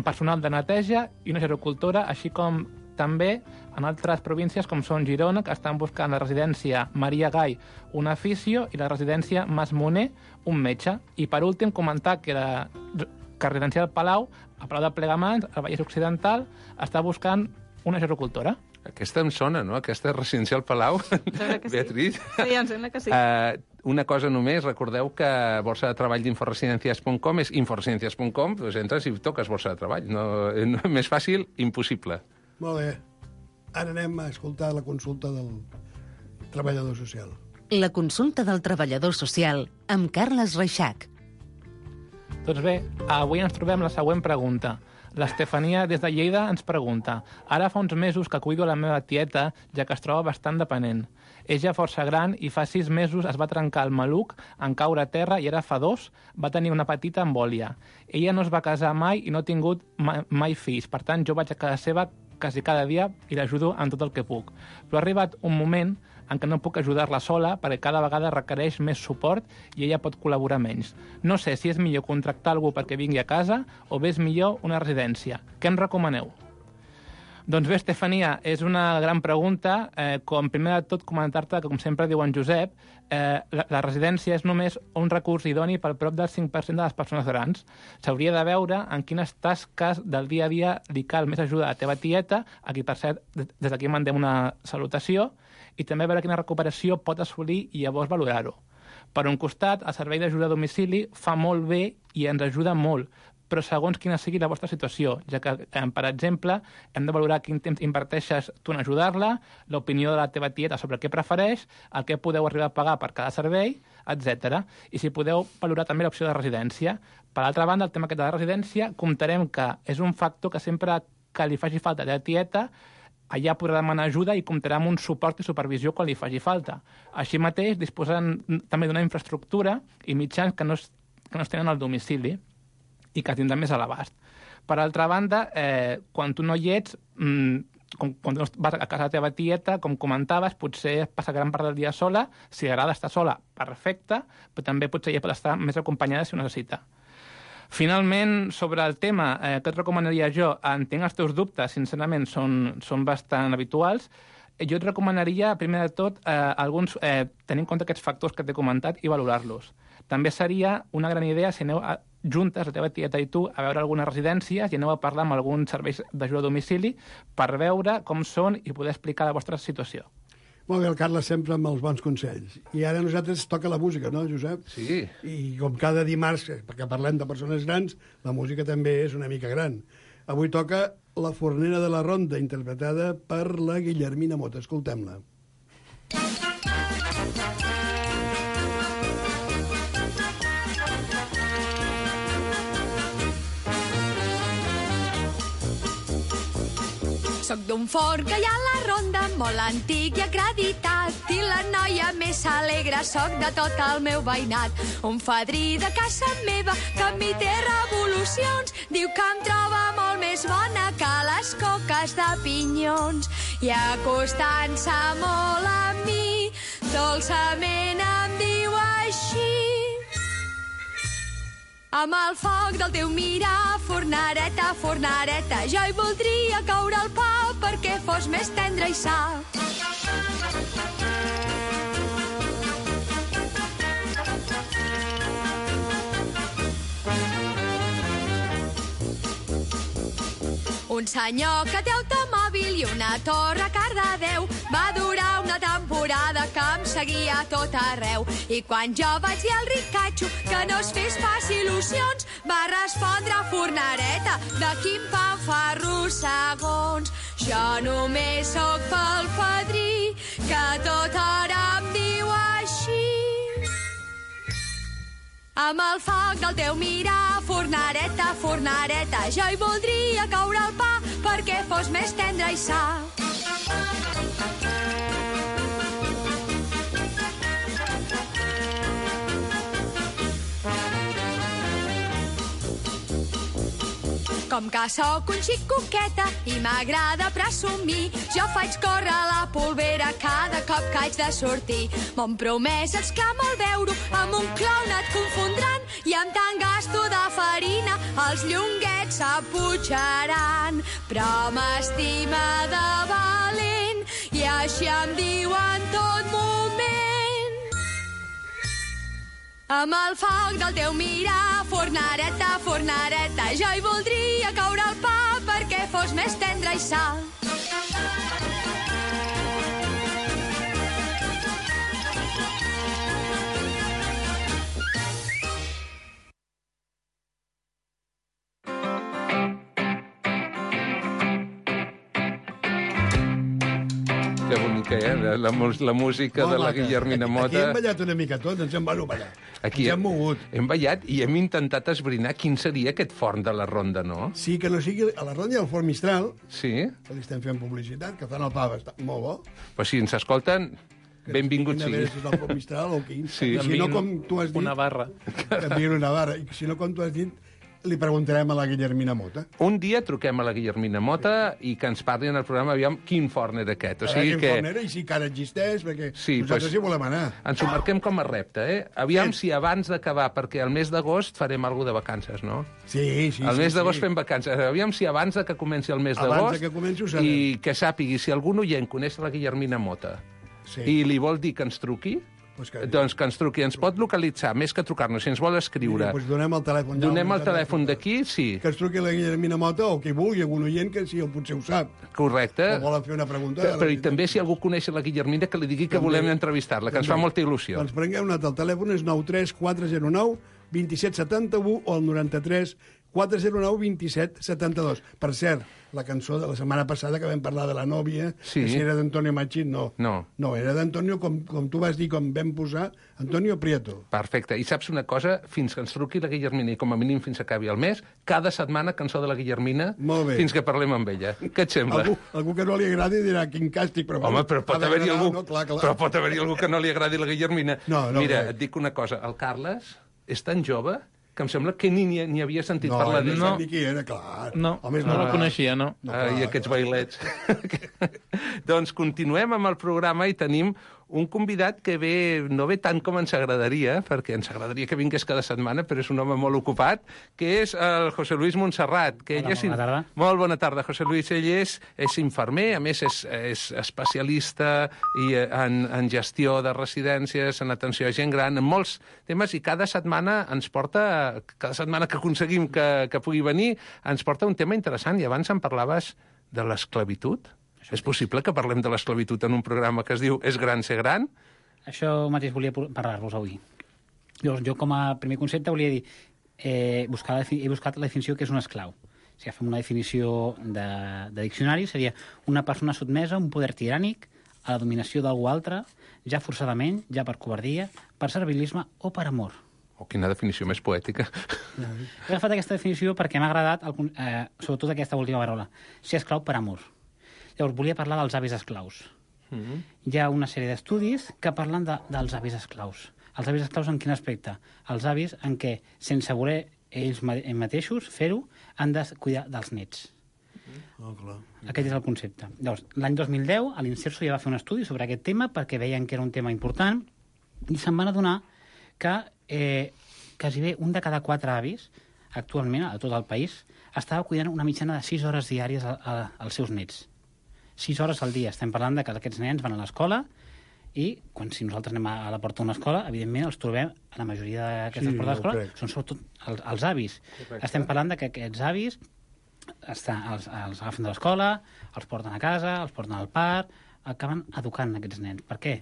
personal de neteja i una gerocultora, així com també en altres províncies com són Girona, que estan buscant la residència Maria Gai, un aficio, i la residència Mas Moner, un metge. I per últim comentar que la que residencial Palau, a Palau de Plegamans, al Vallès Occidental, està buscant una gerocultora. Aquesta em sona, no? Aquesta residencial Palau, Beatriz. Sí, em sembla que sí. Uh, una cosa només, recordeu que borsa de treball d'inforesidencias punt com és inforesidencias punt com, doncs entres i toques borsa de treball. No, no, més fàcil, impossible. Molt bé. Ara anem a escoltar la consulta del treballador social. La consulta del treballador social amb Carles Reixac. Doncs bé, avui ens trobem la següent pregunta. L'Estefania, des de Lleida, ens pregunta: ara fa uns mesos que cuido la meva tieta, ja que es troba bastant dependent. És ja força gran i fa sis mesos es va trencar el maluc en caure a terra i ara fa dos va tenir una petita embòlia. Ella no es va casar mai i no ha tingut mai, mai fills, per tant jo vaig a casa seva quasi cada dia i l'ajudo en tot el que puc. Però ha arribat un moment en què no puc ajudar-la sola perquè cada vegada requereix més suport i ella pot col·laborar menys. No sé si és millor contractar algú perquè vingui a casa o bé és millor una residència. Què em recomaneu? Doncs bé, Estefania, és una gran pregunta. Eh, com primer de tot comentar-te que, com sempre diu en Josep, eh, la, la residència és només un recurs idoni per prop del cinc per cent de les persones grans. S'hauria de veure en quines tasques del dia a dia li cal més ajuda a la teva tieta, a qui, per cert, des d'aquí mandem una salutació, i també veure quina recuperació pot assolir i llavors valorar-ho. Per un costat, el servei d'ajuda a domicili fa molt bé i ens ajuda molt, però segons quina sigui la vostra situació, ja que, eh, per exemple, hem de valorar quin temps inverteixes tu en ajudar-la, l'opinió de la teva tieta sobre què prefereix, el que podeu arribar a pagar per cada servei, etcètera. I si podeu valorar també l'opció de residència. Per altra banda, el tema aquest de la residència, comptarem que és un factor que sempre que li faci falta a la tieta, allà podrà demanar ajuda i comptarà amb un suport i supervisió quan li faci falta. Així mateix, disposen també d'una infraestructura i mitjans que no es, que no es tenen al domicili i que tindran més a l'abast. Per altra banda, eh, quan tu no hi ets, mmm, com, quan vas a casa de la teva tieta, com comentaves, potser passa gran part del dia sola, si li agrada estar sola, perfecte, però també potser ella pot estar més acompanyada si ho necessita. Finalment, sobre el tema, eh, què et recomanaria jo? Entenc els teus dubtes, sincerament, són, són bastant habituals. Jo et recomanaria, primer de tot, eh, alguns, eh, tenir en compte aquests factors que t'he comentat i valorar-los. També seria una gran idea si aneu a, juntes, la teva tieta i tu, a veure algunes residències i aneu a parlar amb alguns serveis d'ajuda a domicili per veure com són i poder explicar la vostra situació. Molt bé, el Carles sempre amb els bons consells. I ara a nosaltres toca la música, no, Josep? Sí. I com cada dimarts, perquè parlem de persones grans, la música també és una mica gran. Avui toca La fornera de la ronda, interpretada per la Guillermina Mota. Escoltem-la. Soc d'un forn que hi ha a la ronda, molt antic i acreditat, i la noia més alegre soc de tot el meu veïnat. Un fadrí de casa meva que a mi té revolucions, diu que em troba molt més bona que les coques de pinyons. I acostant-se molt a mi, dolçament em diu així: amb el foc del teu mirar, fornareta, fornareta, jo hi voldria coure el pa perquè fos més tendre i sa. Un senyor que té automòbil i una torre a Cardedeu va durar una temporada que em seguia a tot arreu. I quan jo vaig dir al ricatxo que no es fes pas il·lusions, va respondre: fornareta, de quin pa fa rossegons. Jo només sóc pel fadrí que tot hora em diu així: amb el foc del teu mirar, fornareta, fornareta, jo hi voldria coure el pa perquè fos més tendre i sa. Com que sóc un xic coqueta i m'agrada presumir, jo faig córrer la polvera cada cop que haig de sortir. Mon promès exclama al veure, amb un clown et confondran, i amb tant gasto de farina els llonguets s'aputxaran. Però m'estima de valent i així em diu en tot moment: amb el foc del teu mirar, fornareta, fornareta, jo hi voldria coure el pa perquè fos més tendre i sa. Que bonica, eh? La, la, la música de la Guillermina Mota. Aquí hem ballat una mica tots, ens hem ballat ballar. Aquí ens hem mogut. Hem ballat i hem intentat esbrinar quin seria aquest forn de la ronda, no? Sí, que no sigui... A la ronda hi ha el forn Mistral, sí, que li estem fent publicitat, que fan el pa bastant, molt bo. Però si ens escolten, benvingut sigui. Si és el forn Mistral o quin. Sí. Si no, com tu has dit... Una barra. Que envien una barra. I si no, com tu has dit, li preguntarem a la Guillermina Mota. Un dia truquem a la Guillermina Mota i que ens parli en el programa, aviam quin forn era aquest. O A sigui veure quin que... forn era i si encara existeix, perquè Sí, nosaltres pues, hi volem anar. ens ho marquem com a repte, eh? Aviam Sí. si abans d'acabar, perquè el mes d'agost farem alguna de vacances, no? Sí, sí, El sí. mes d'agost sí. fem vacances. Aviam si abans de que comenci el mes Abans d'agost... de que comenci ho sabem. I que sàpigui, si algun oient coneix la Guillermina Mota Sí. i li vol dir que ens truqui, Pues que... doncs que ens truqui. Ens pot localitzar, més que trucar-nos, si ens vol escriure. Mira, pues donem el telèfon. Ja, Donem el el telèfon d'aquí, sí. Que ens truqui la Guillermina Mota o qui vulgui, algun oient que sí, potser ho sap. Correcte. O volen fer una pregunta. Però i també si algú coneix la Guillermina, que li digui que També. volem entrevistar-la, que ens fa molta il·lusió. Doncs prengueu nota, el telèfon és nou tres quatre zero nou dos set set u o el noranta-tres quatre zero nou dos set set dos. Per cert, la cançó de la setmana passada que vam parlar de la nòvia, Sí. que si era d'Antonio Machín, no. No. No, era d'Antonio, com, com tu vas dir, com vam posar, Antonio Prieto. Perfecte. I saps una cosa? Fins que ens truqui la Guillermina, i com a mínim fins que acabi el mes, cada setmana cançó de la Guillermina, Molt bé. fins que parlem amb ella. Què et sembla? Algú, algú que no li agradi dirà quin càstig, però... Home, però pot ha haver-hi d'agradar, algú, No, clar, clar. però pot haver-hi algú que no li agradi la Guillermina. No, no, Mira, no. et dic una cosa. El Carles és tan jove que em sembla que ni ni havia sentit no, parlar d'ell. d'ell. No, ni qui era, clar. No, Home, no la coneixia, no. No, Ah, I aquests bailets. Doncs continuem amb el programa i tenim un convidat que ve, no ve tant com ens agradaria, perquè ens agradaria que vingués cada setmana, però és un home molt ocupat, que és el José Luis Montserrat. Que Hola, ell és... bona tarda. Molt bona tarda, José Luis. Ell és, és infermer, a més és, és especialista i en, en gestió de residències, en atenció a gent gran, en molts temes, i cada setmana ens porta, cada setmana que aconseguim que, que pugui venir, ens porta un tema interessant. I abans em parlaves de l'esclavitud. És possible que parlem de l'esclavitud en un programa que es diu És gran ser gran? Això mateix volia parlar-vos avui. Llavors, jo com a primer concepte volia dir, eh, buscar la, he buscat la definició que és un esclau. Si agafem una definició de, de diccionari, seria una persona sotmesa a un poder tirànic, a la dominació d'algú altre, ja forçadament, ja per covardia, per servilisme o per amor. Oh, quina definició més poètica. He agafat aquesta definició perquè m'ha agradat, el, eh, sobretot aquesta última paraula, ser esclau per amor. Llavors, volia parlar dels avis esclaus. Mm-hmm. Hi ha una sèrie d'estudis que parlen de, dels avis esclaus. Els avis esclaus en quin aspecte? Els avis en què, sense voler ells mateixos fer-ho, han de cuidar dels nets. Oh, clar. Aquest és el concepte. Llavors, l'any dos mil deu, a l'Inserso ja va fer un estudi sobre aquest tema perquè veien que era un tema important i se'n van adonar que eh, quasi bé un de cada quatre avis, actualment, a tot el país, estava cuidant una mitjana de sis hores diàries a, a, als seus nets. sis hores al dia. Estem parlant de que aquests nens van a l'escola i quan si nosaltres anem a la porta d'una escola, evidentment els trobem a la majoria d'aquestes Sí, portes d'escola, crec. són sobretot els, els avis. Correcte. Estem parlant de que aquests avis està, els, els agafen de l'escola, els porten a casa, els porten al parc, acaben educant aquests nens. Per què?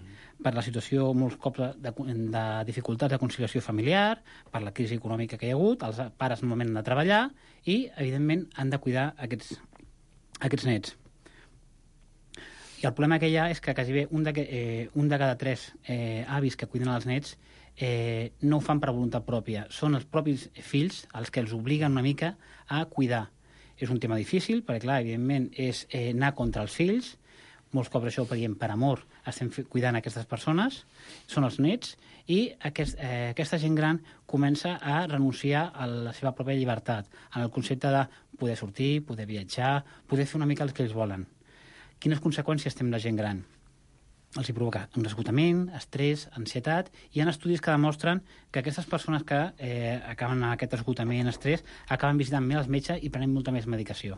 Per la situació, molts cops, de, de dificultats de conciliació familiar, per la crisi econòmica que hi ha hagut, els pares normalment han de treballar i, evidentment, han de cuidar aquests, aquests nets. I el problema que hi ha és que quasi bé un de, eh, un de cada tres eh, avis que cuiden els nets eh, no ho fan per voluntat pròpia. Són els propis fills els que els obliguen una mica a cuidar. És un tema difícil, perquè, clar, evidentment, és eh, anar contra els fills. Molts cops això ho paguem per amor. Estem cuidant aquestes persones, són els nets, i aquest, eh, aquesta gent gran comença a renunciar a la seva pròpia llibertat, en el concepte de poder sortir, poder viatjar, poder fer una mica el que ells volen. Quines conseqüències té la gent gran? Els hi provoca un esgotament, estrès, ansietat. Hi ha estudis que demostren que aquestes persones que eh, acaben amb aquest esgotament, estrès, acaben visitant més els metges i prenent molta més medicació.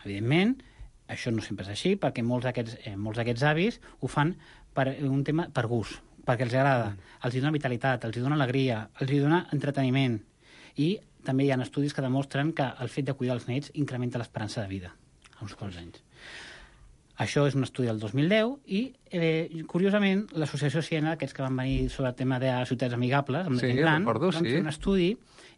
Evidentment, això no sempre és així, perquè molts d'aquests eh, molts d'aquests avis ho fan per un tema per gust, perquè els agrada, els hi dona vitalitat, els hi dona alegria, els hi dona entreteniment. I també hi ha estudis que demostren que el fet de cuidar els nets incrementa l'esperança de vida a uns quants anys. Això és un estudi del dos mil deu i, eh, curiosament, l'associació Siena, aquests que van venir sobre el tema de ciutats amigables, amb Sí, gent gran, recordo, van sí. fer un estudi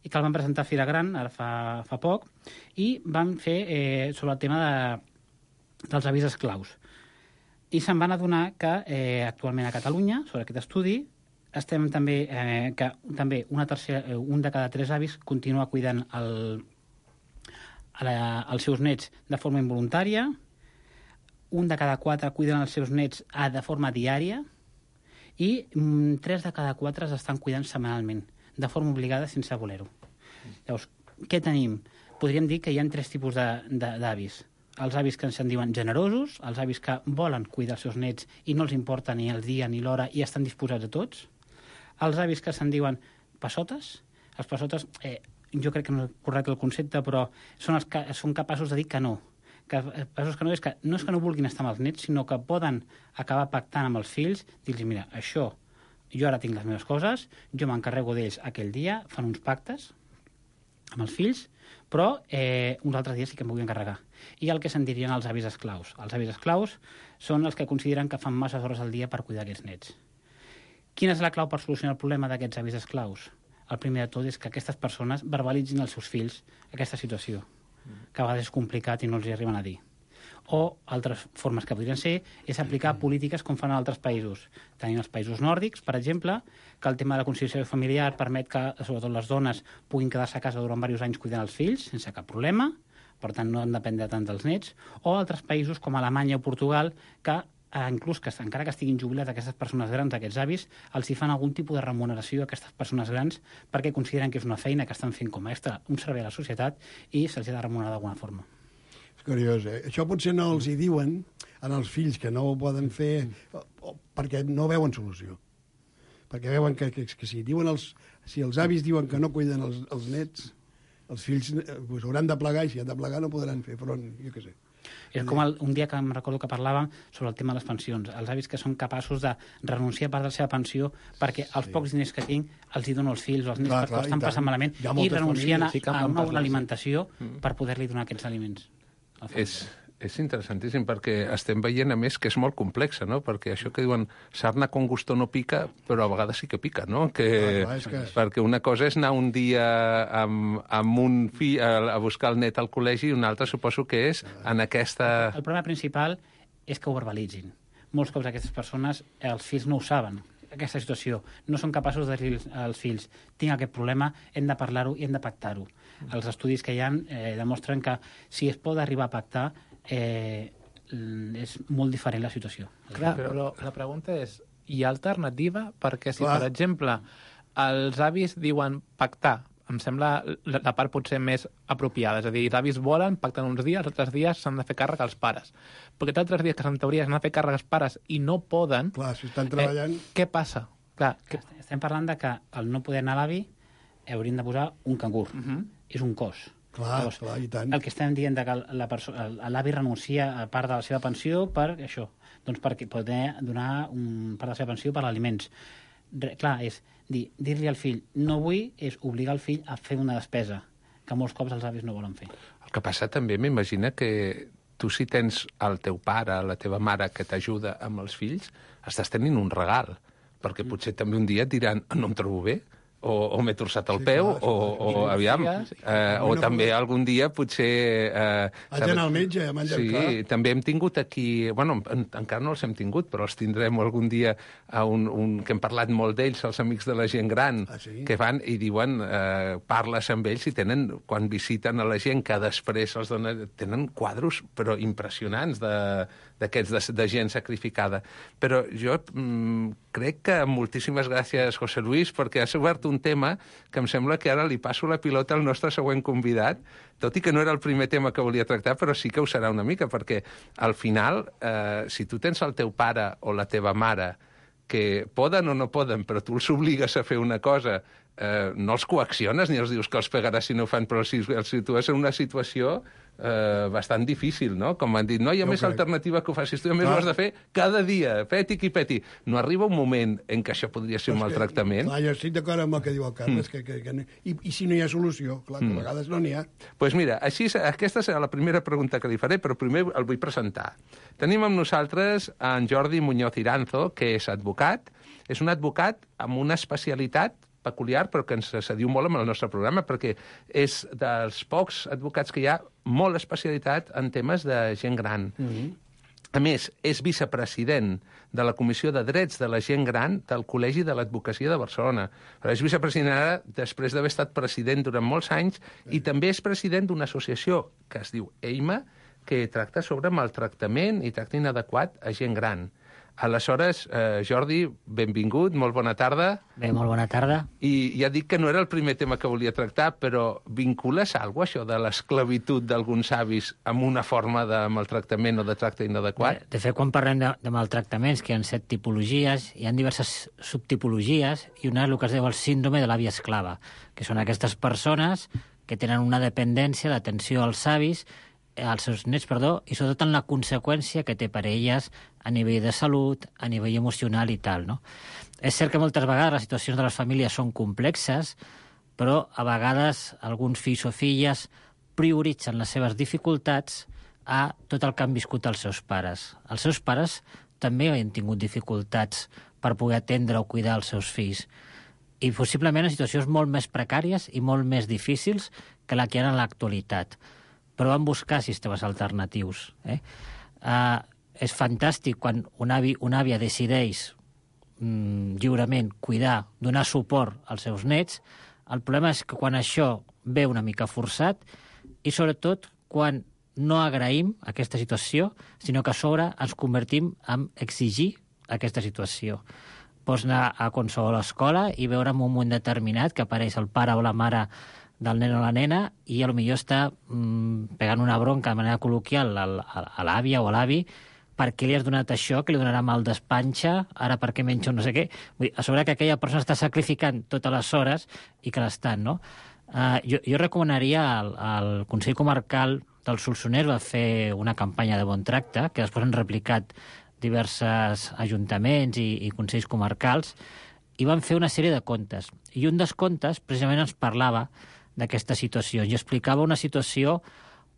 i que el van presentar a Fira Gran, ara fa, fa poc, i van fer eh, sobre el tema de, dels avis esclaus. I se'n van adonar que eh, actualment a Catalunya, sobre aquest estudi, estem també, eh, que també una tercera, eh, un de cada tres avis continua cuidant el, a la, els seus nets de forma involuntària, un de cada quatre cuiden els seus nets a, de forma diària i mm, tres de cada quatre estan cuidant setmanalment, de forma obligada sense voler-ho. Llavors, què tenim? Podríem dir que hi ha tres tipus d'avis. Els avis que se'n diuen generosos, els avis que volen cuidar els seus nets i no els importa ni el dia ni l'hora i estan disposats a tots. Els avis que se'n diuen passotes. Els passotes, eh, jo crec que no és correcte el concepte, però són, els que, són capaços de dir que no. Que, passos que no, és que no és que no vulguin estar amb els nets, sinó que poden acabar pactant amb els fills, dir-los, mira, això, jo ara tinc les meves coses, jo m'encarrego d'ells aquell dia, fan uns pactes amb els fills, però eh, uns altres dies sí que em vull encarregar. I el que se'n dirien els avis esclaus. Els avis esclaus són els que consideren que fan masses hores al dia per cuidar aquests nets. Quina és la clau per solucionar el problema d'aquests avis esclaus? El primer de tot és que aquestes persones verbalitzin als seus fills aquesta situació, que a vegades és complicat i no els hi arriben a dir. O altres formes que podrien ser és aplicar polítiques com fan en altres països. Tenim els països nòrdics, per exemple, que el tema de la conciliació familiar permet que, sobretot les dones, puguin quedar-se a casa durant diversos anys cuidant els fills, sense cap problema, per tant no han de dependre tant dels nets, o altres països com Alemanya o Portugal, que eh, inclús que encara que estiguin jubilats aquestes persones grans, aquests avis, els hi fan algun tipus de remuneració a aquestes persones grans perquè consideren que és una feina que estan fent com a extra, un servei a la societat, i se'ls ha de remunerar d'alguna forma. És curiós, eh? Això potser no els hi diuen als fills que no ho poden fer o, o, perquè no veuen solució. Perquè veuen que, que, que si, diuen els, si els avis diuen que no cuiden els, els nets, els fills eh, pues, hauran de plegar, i si han de plegar no podran fer front, jo què sé. És com el, un dia que em recordo que parlàvem sobre el tema de les pensions. Els avis que són capaços de renunciar a part de la seva pensió perquè els sí. pocs diners que tinc els hi dono als fills o als nens clar, perquè clar, estan passant malament i renuncien a, a una bona alimentació mm. per poder-li donar aquests aliments. És, és interessantíssim perquè estem veient, a més, que és molt complexa, no? Perquè això que diuen sarna con gusto no pica, però a vegades sí que pica, no? Que, ah, clar, que... Perquè una cosa és anar un dia amb, amb un fill a, a buscar el net al col·legi i una altra suposo que és en aquesta... El problema principal és que ho verbalitzin. Molts cops aquestes persones, els fills no ho saben, aquesta situació. No són capaços de dir als fills tinc aquest problema, hem de parlar-ho i hem de pactar-ho. Els estudis que hi ha eh, demostren que si es pot arribar a pactar eh, és molt diferent la situació. Clar, però la pregunta és, hi ha alternativa? Perquè si, Clar. per exemple, els avis diuen pactar, em sembla la, la part potser més apropiada. És a dir, els avis volen, pacten uns dies, els altres dies s'han de fer càrrec als pares. Perquè els altres dies que en teoria s'han de fer càrrec als pares i no poden... Clar, si estan treballant... Eh, què passa? Clar, que... Estem parlant de que al no poder anar a l'avi haurien de posar un cangur. Uh -huh. És un cos. Clar, Llavors, clar, i tant. El que estem dient de que l'avi renuncia a part de la seva pensió per això, doncs perquè poder donar un part de la seva pensió per aliments. Clar, és dir, dir-li al fill no vull, és obligar el fill a fer una despesa que molts cops els avis no volen fer. El que passa també, m'imagina que tu si tens el teu pare, la teva mare que t'ajuda amb els fills, estàs tenint un regal, perquè mm. potser també un dia et diran no em trobo bé, o, o m'he torçat el sí, peu, clar, o, o aviam, eh, o també algun dia potser... Eh, Vaig al metge, a menjar sí, clar. També hem tingut aquí... Bueno, en, encara no els hem tingut, però els tindrem algun dia a un, un, que hem parlat molt d'ells, els amics de la gent gran, ah, sí? que van i diuen, eh, parles amb ells i tenen, quan visiten a la gent, que després els donen, tenen quadros, però impressionants, de d'aquests de, de gent sacrificada. Però jo mm, crec que moltíssimes gràcies, José Luis, perquè has obert un tema que em sembla que ara li passo la pilota al nostre següent convidat, tot i que no era el primer tema que volia tractar, però sí que ho serà una mica, perquè al final, eh, si tu tens el teu pare o la teva mare que poden o no poden, però tu els obligues a fer una cosa, eh, no els coacciones ni els dius que els pegaràs si no ho fan, però si els situes en una situació eh, bastant difícil, no? Com han dit, no hi ha no més crec. alternativa que ho facis tu, a més clar. ho has de fer cada dia, peti qui peti. No arriba un moment en què això podria ser un maltractament? Clar, jo estic d'acord amb el que diu el Carles, mm. que, que, que no, i, i si no hi ha solució, clar, que mm. a vegades no n'hi ha. Doncs pues mira, així, aquesta serà la primera pregunta que li faré, però primer el vull presentar. Tenim amb nosaltres en Jordi Muñoz Iranzo, que és advocat, és un advocat amb una especialitat peculiar, però que ens sediu molt amb el nostre programa, perquè és dels pocs advocats que hi ha molt especialitat en temes de gent gran. Mm-hmm. A més, és vicepresident de la Comissió de Drets de la Gent Gran del Col·legi de l'Advocacia de Barcelona. Però és vicepresident ara després d'haver estat president durant molts anys i també és president d'una associació que es diu EIMA, que tracta sobre maltractament i tracte inadequat a gent gran. Aleshores, eh, Jordi, benvingut, molt bona tarda. Bé, molt bona tarda. I ja dic que no era el primer tema que volia tractar, però vincules alguna cosa, això de l'esclavitud d'alguns avis amb una forma de maltractament o de tracte inadequat? Bé, de fet, quan parlem de, de maltractaments, que hi ha set tipologies, hi ha diverses subtipologies, i una és el que es diu el síndrome de l'àvia esclava, que són aquestes persones que tenen una dependència d'atenció als avis, als seus nets, perdó, i sobretot en la conseqüència que té per elles a nivell de salut, a nivell emocional i tal, no? És cert que moltes vegades les situacions de les famílies són complexes, però a vegades alguns fills o filles prioritzen les seves dificultats a tot el que han viscut els seus pares. Els seus pares també han tingut dificultats per poder atendre o cuidar els seus fills, i possiblement en situacions molt més precàries i molt més difícils que la que hi ha en l'actualitat. Però van buscar sistemes alternatius. Eh? Uh, és fantàstic quan un avi, una àvia decideix mm, lliurement cuidar, donar suport als seus nets. El problema és que quan això ve una mica forçat i sobretot quan no agraïm aquesta situació, sinó que a sobre ens convertim en exigir aquesta situació. Pots anar a qualsevol escola i veure en un moment determinat que apareix el pare o la mare del nen o la nena i potser està mm, pegant una bronca de manera col·loquial a, a, a l'àvia o a l'avi per què li has donat això, que li donarà mal d'espanxa, ara per què menjo no sé què. Vull dir, a sobre que aquella persona està sacrificant totes les hores i que l'estan, no? Uh, jo, jo recomanaria al, al Consell Comarcal del Solsonès va fer una campanya de bon tracte, que després han replicat diversos ajuntaments i, i consells comarcals, i van fer una sèrie de contes. I un dels contes precisament ens parlava d'aquesta situació. I explicava una situació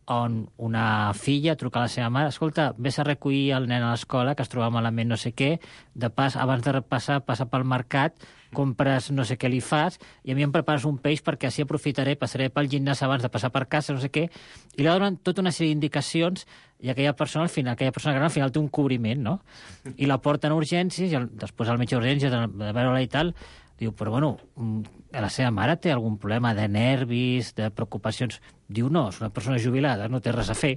on una filla truca a la seva mare, escolta, vés a recollir el nen a l'escola, que es troba malament no sé què, de pas, abans de passar, passa pel mercat, compres no sé què li fas, i a mi em prepares un peix perquè així aprofitaré, passaré pel gimnàs abans de passar per casa, no sé què, i li donen tota una sèrie d'indicacions, i aquella persona, al final, aquella persona gran, al final té un cobriment, no? I la porten a urgències, i el, després al metge d'urgències, de, de veure-la i tal, diu, però bueno, la seva mare té algun problema de nervis, de preocupacions? Diu, no, és una persona jubilada, no té res a fer.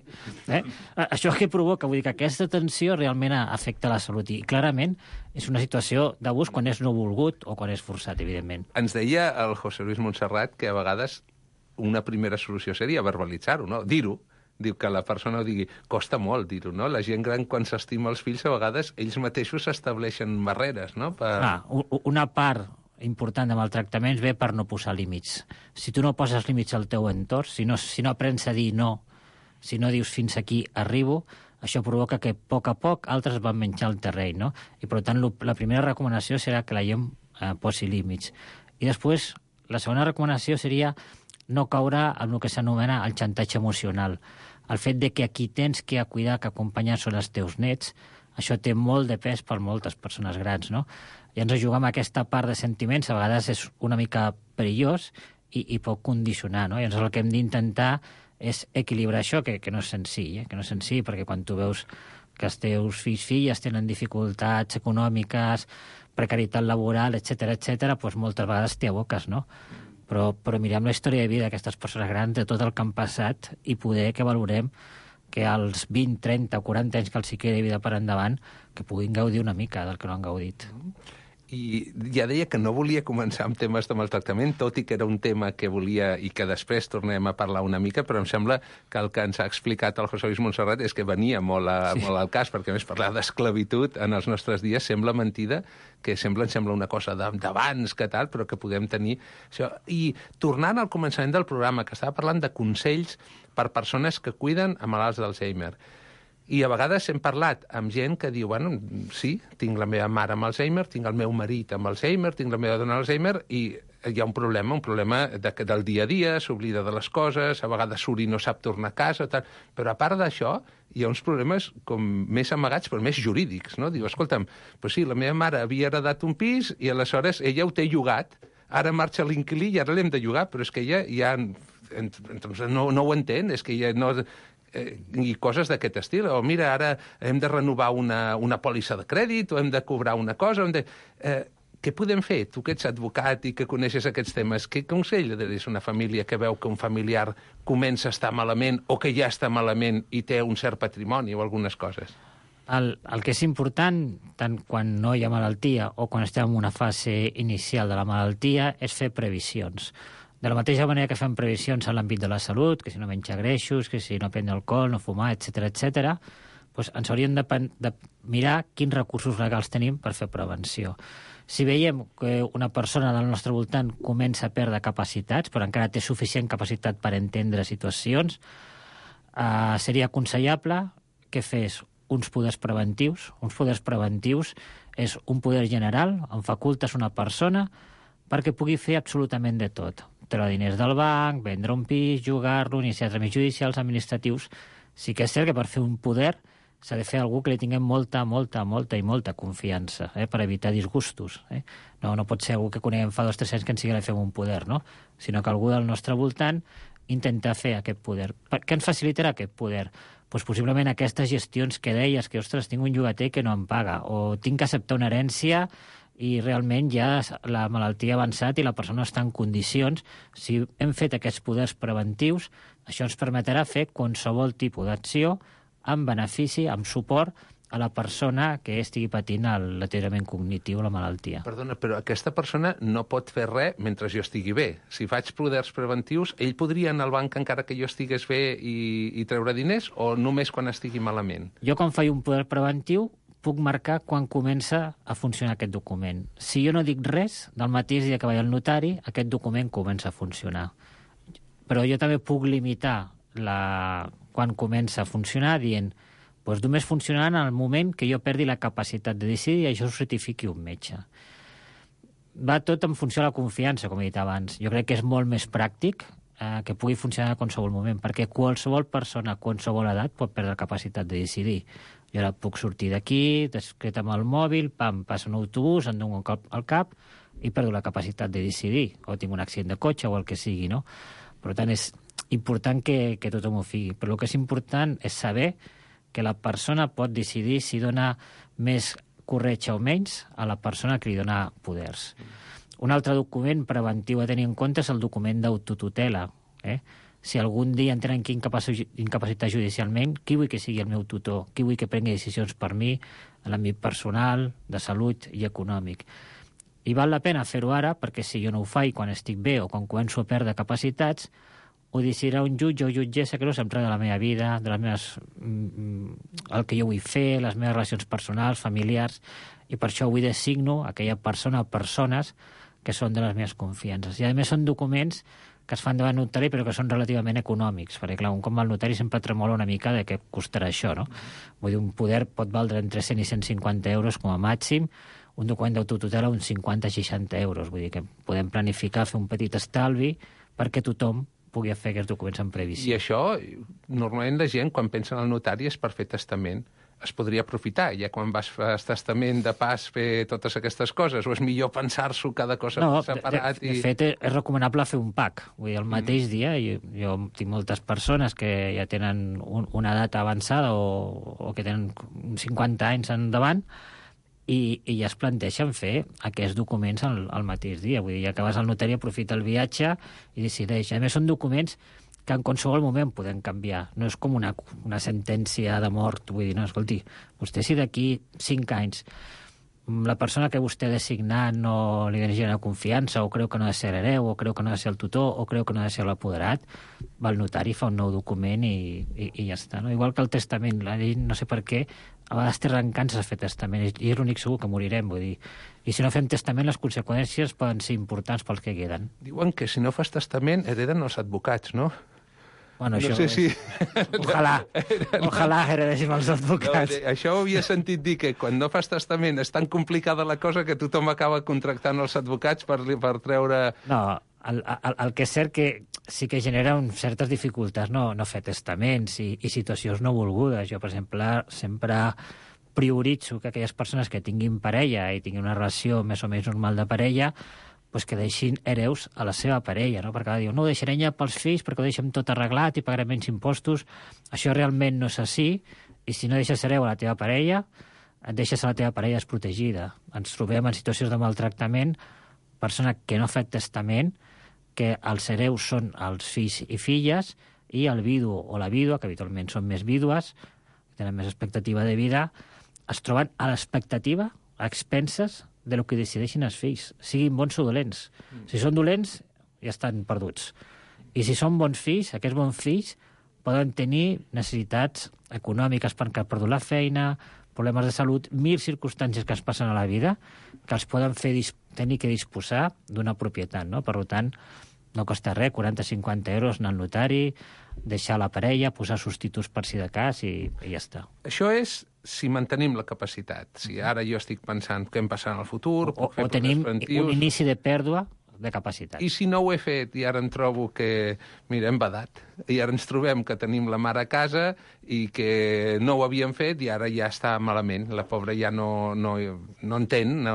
Eh? Això què provoca? Vull dir que aquesta tensió realment afecta la salut i clarament és una situació d'abús quan és no volgut o quan és forçat, evidentment. Ens deia el José Luis Montserrat que a vegades una primera solució seria verbalitzar-ho, no? Dir-ho. Diu que la persona ho digui. Costa molt dir-ho, no? La gent gran, quan s'estima els fills, a vegades ells mateixos s'estableixen barreres, no? Per... Ah, una part important de maltractaments ve per no posar límits. Si tu no poses límits al teu entorn, si no, si no aprens a dir no, si no dius fins aquí arribo, això provoca que a poc a poc altres van menjar el terreny, no? I per tant, la primera recomanació serà que la gent eh, posi límits. I després, la segona recomanació seria no caure en el que s'anomena el xantatge emocional. El fet de que aquí tens que cuidar, que acompanyar són els teus nets, això té molt de pes per moltes persones grans, no? I ens jugar amb aquesta part de sentiments a vegades és una mica perillós i, i pot condicionar, no? I llavors el que hem d'intentar és equilibrar això, que, que no és senzill, eh? que no és senzill, perquè quan tu veus que els teus fills, filles tenen dificultats econòmiques, precarietat laboral, etcètera, etcètera, doncs moltes vegades t'hi aboques, no? Però, però mirem la història de vida d'aquestes persones grans, de tot el que han passat, i poder que valorem que als vint, trenta o quaranta anys que els hi quedi de vida per endavant, que puguin gaudir una mica del que no han gaudit. I ja deia que no volia començar amb temes de maltractament, tot i que era un tema que volia i que després tornem a parlar una mica, però em sembla que el que ens ha explicat el José Luis Montserrat és que venia molt, a, sí. molt al cas, perquè a més parlar d'esclavitud en els nostres dies sembla mentida, que sembla, em sembla una cosa d'abans que tal, però que podem tenir això. I tornant al començament del programa, que estava parlant de consells per persones que cuiden a malalts d'Alzheimer. I a vegades hem parlat amb gent que diu, bueno, sí, tinc la meva mare amb Alzheimer, tinc el meu marit amb Alzheimer, tinc la meva dona amb Alzheimer, i hi ha un problema, un problema de, del dia a dia, s'oblida de les coses, a vegades surt i no sap tornar a casa, tal. Però a part d'això, hi ha uns problemes com més amagats, però més jurídics, no? Diu, escolta'm, pues sí, la meva mare havia heredat un pis i aleshores ella ho té llogat, ara marxa l'inquilí i ara l'hem de llogar, però és que ella ja no, no ho entén, és que ella no... Eh, i coses d'aquest estil, o mira, ara hem de renovar una, una pòlissa de crèdit, o hem de cobrar una cosa, hem de... Eh, què podem fer? Tu que ets advocat i que coneixes aquests temes, què consell és una família que veu que un familiar comença a estar malament o que ja està malament i té un cert patrimoni o algunes coses? El, el que és important, tant quan no hi ha malaltia o quan estem en una fase inicial de la malaltia, és fer previsions. De la mateixa manera que fem previsions en l'àmbit de la salut, que si no menja greixos, que si no prendre alcohol, no fumar, etcètera, etcètera, doncs ens hauríem de, de mirar quins recursos legals tenim per fer prevenció. Si veiem que una persona del nostre voltant comença a perdre capacitats, però encara té suficient capacitat per entendre situacions, eh, seria aconsellable que fes uns poders preventius. Uns poders preventius és un poder general on facultes una persona perquè pugui fer absolutament de tot. Treure diners del banc, vendre un pis, jugar-lo, iniciar tràmits judicials, administratius. Sí que és cert que per fer un poder s'ha de fer algú que li tinguem molta, molta, molta i molta confiança, eh, per evitar disgustos. Eh? No, no pot ser algú que coneguem fa dos o tres anys que ens sigui de fer un poder, no? Sinó que algú del nostre voltant intenta fer aquest poder. Per què ens facilitarà aquest poder? Pues possiblement aquestes gestions que deies, que, ostres, tinc un llogater que no em paga, o tinc que acceptar una herència i realment ja la malaltia ha avançat i la persona està en condicions. Si hem fet aquests poders preventius, Això ens permetrà fer qualsevol tipus d'acció amb benefici, amb suport a la persona que estigui patint el deteriorament cognitiu o la malaltia. Perdona, però aquesta persona no pot fer res mentre jo estigui bé. Si faig poders preventius, ell podria anar al banc encara que jo estigués bé i, i treure diners, o només quan estigui malament? Jo, quan faig un poder preventiu, puc marcar quan comença a funcionar aquest document. Si jo no dic res, del mateix dia que vaig al notari, aquest document comença a funcionar. Però jo també puc limitar la... quan comença a funcionar dient doncs només funcionarà en el moment que jo perdi la capacitat de decidir i això ho certifiqui un metge. Va tot en funció de la confiança, com he dit abans. Jo crec que és molt més pràctic eh, que pugui funcionar a qualsevol moment, perquè qualsevol persona a qualsevol edat pot perdre la capacitat de decidir. Jo ara puc sortir d'aquí, discret amb el mòbil, pam, passa un autobús, em dono un cop al cap i perdo la capacitat de decidir, o tinc un accident de cotxe o el que sigui, no? Per tant, és important que, que tothom ho figui. Però el que és important és saber que la persona pot decidir si dona més corretja o menys a la persona que li dona poders. Un altre document preventiu a tenir en compte és el document d'autotutela. Eh? Si algun dia em tenen que incapacitar judicialment, qui vull que sigui el meu tutor? Qui vull que prengui decisions per mi en l'àmbit personal, de salut i econòmic? I val la pena fer-ho ara, perquè si jo no ho faig quan estic bé o quan començo a perdre capacitats, ho decidirà un jutge o jutgessa que no s'entra de la meva vida, de les meves, el que jo vull fer, les meves relacions personals, familiars, i per això avui designo aquella persona o persones que són de les meves confiances. I a més són documents que es fan davant notari però que són relativament econòmics, perquè clar, un cop al notari sempre tremola una mica de què costarà això, no? Vull dir, un poder pot valdre entre cent i cent cinquanta euros com a màxim, un document d'autotutela uns cinquanta a seixanta euros, vull dir que podem planificar, fer un petit estalvi perquè tothom pugui fer aquests documents en previsió. I això, normalment la gent, quan pensa en el notari, és per fer testament. Es podria aprofitar, ja quan vas fer testament de pas fer totes aquestes coses, o és millor pensar-s'ho cada cosa no, separat? De, de, de fet, és recomanable fer un pack. Vull dir, el mateix mm. dia, jo, jo tinc moltes persones que ja tenen un, una data avançada o, o que tenen cinquanta anys endavant, i, i ja es planteixen fer aquests documents al, al mateix dia. Vull dir, ja que vas al notari, aprofita el viatge i decideix. A més, són documents que en qualsevol moment podem canviar. No és com una, una sentència de mort. Vull dir, no, escolti, vostè si d'aquí cinc anys la persona que vostè ha designat no li genera confiança, o creu que no ha de ser hereu, o creu que no ha de ser el tutor, o creu que no ha de ser l'apoderat, va al notari, fa un nou document i, i, i ja està. No? Igual que el testament, la llei, no sé per què, a vegades té rencàncies a fer testament, i és l'únic segur que morirem, vull dir. I si no fem testament, les conseqüències poden ser importants pels que queden. Diuen que si no fas testament hereden els advocats, no? Bueno, no això sé si... Ojalà, ojalà heredéssim els advocats. No, això ho havia sentit dir, que quan no fas testament és tan complicada la cosa que tothom acaba contractant els advocats per, per treure... No, el, el, el que és cert que sí que genera un, certes dificultats no, no fer testaments i, i situacions no volgudes. Jo, per exemple, sempre prioritzo que aquelles persones que tinguin parella i tinguin una relació més o menys normal de parella pues que deixin hereus a la seva parella, no? Perquè diu, no ho deixarem ja pels fills perquè ho deixem tot arreglat i pagarem menys impostos. Això realment no és així, i si no deixes hereu a la teva parella, et deixes a la teva parella desprotegida. Ens trobem en situacions de maltractament, persona que no ha fet testament, que els hereus són els fills i filles, i el vidu o la vídua, que habitualment són més vídues, que tenen més expectativa de vida, es troben a l'expectativa, a expenses de lo que decideixin els fills, siguin bons o dolents. Mm. Si són dolents, ja estan perduts. I si són bons fills, aquests bons fills poden tenir necessitats econòmiques perquè han perdut la feina, problemes de salut, mil circumstàncies que es passen a la vida que els poden fer tenir que disposar d'una propietat, no? Per tant, no costa res, quaranta a cinquanta euros anar al notari, deixar la parella, posar substituts per si de cas i, i ja està. Això és si mantenim la capacitat. Si ara jo estic pensant què em passarà en el futur... O, o tenim un inici de pèrdua de capacitat. I si no ho he fet i ara em trobo que, mira, hem badat, i ara ens trobem que tenim la mare a casa i que no ho havíem fet i ara ja està malament, la pobra ja no, no, no entén. No.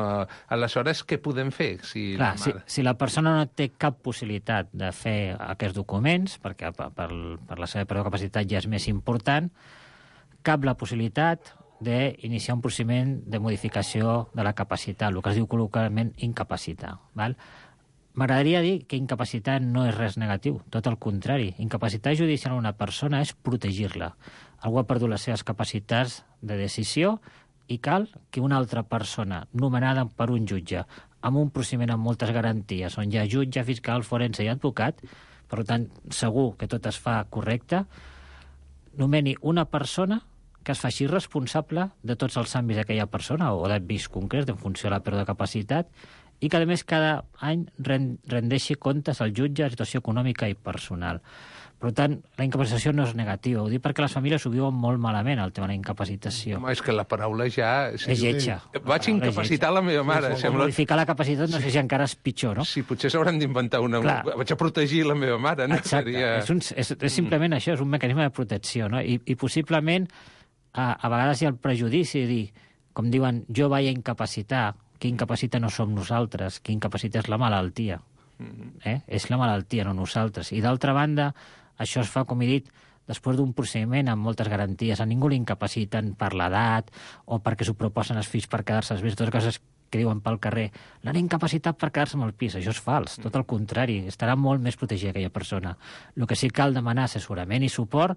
Aleshores, què podem fer? Si, Clar, la si, si la persona no té cap possibilitat de fer aquests documents, perquè per, per, per la seva capacitat ja és més important, cap la possibilitat d'iniciar un procediment de modificació de la capacitat, el que es diu col·loquialment incapacitar. Val? M'agradaria dir que incapacitar no és res negatiu, tot el contrari. Incapacitar judicial a una persona és protegir-la. Algú ha perdut les seves capacitats de decisió i cal que una altra persona, nomenada per un jutge, amb un procediment amb moltes garanties, on hi ha jutge, fiscal, forense i advocat, per tant, segur que tot es fa correcte, nomeni una persona que es faci responsable de tots els àmbits d'aquella persona o d'àmbits concrets en funció de la pèrdua de capacitat i que, a més, cada any rendeixi comptes al jutge de situació econòmica i personal. Per tant, la incapacitació no és negativa. Ho dic perquè les famílies ho viuen molt malament, el tema de la incapacitació. Home, és que la paraula ja... Sí, és lletja. Vaig incapacitar la meva mare. Sí, sembla... Modificar la capacitat no sé si encara és pitjor, no? Sí, potser s'hauran d'inventar una... Clar. Vaig a protegir la meva mare, no? Exacte. Seria... És, un, és, és simplement mm. això, és un mecanisme de protecció, no? I, i possiblement, a, a vegades hi ha el prejudici de dir, com diuen, jo vaig a incapacitar, qui incapacita no som nosaltres, qui incapacita és la malaltia. Mm. Eh? És la malaltia, no nosaltres. I d'altra banda, això es fa, com he dit, després d'un procediment amb moltes garanties. A ningú l'incapaciten per l'edat o perquè s'ho proposen els fills per quedar-se als fills, totes coses que diuen pel carrer. L'han incapacitat per quedar-se amb el pis. Això és fals, tot el contrari. Estarà molt més protegida aquella persona. El que sí cal demanar assessorament i suport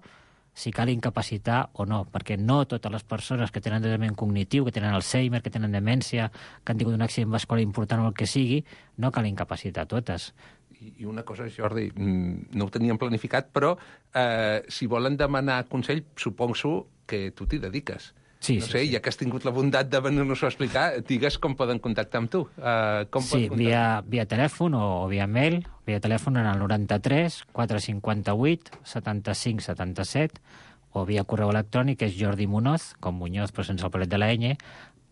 si cal incapacitar o no, perquè no totes les persones que tenen deteriorament cognitiu, que tenen Alzheimer, que tenen demència, que han tingut un accident vascular important o el que sigui, no cal incapacitar totes. I una cosa, Jordi, no ho teníem planificat, però eh, si volen demanar consell, suposo que tu t'hi dediques. Sí, no sí, sé, sí. ja que has tingut la bondat de venir-nos a explicar, digues com poden contactar amb tu. Uh, com sí, via, via telèfon o, o via mail. Via telèfon en el noranta-tres quatre cinquanta-vuit setanta-cinc setanta-set o via correu electrònic, que és Jordi Munoz, com Muñoz, però sense el palet de la ñ,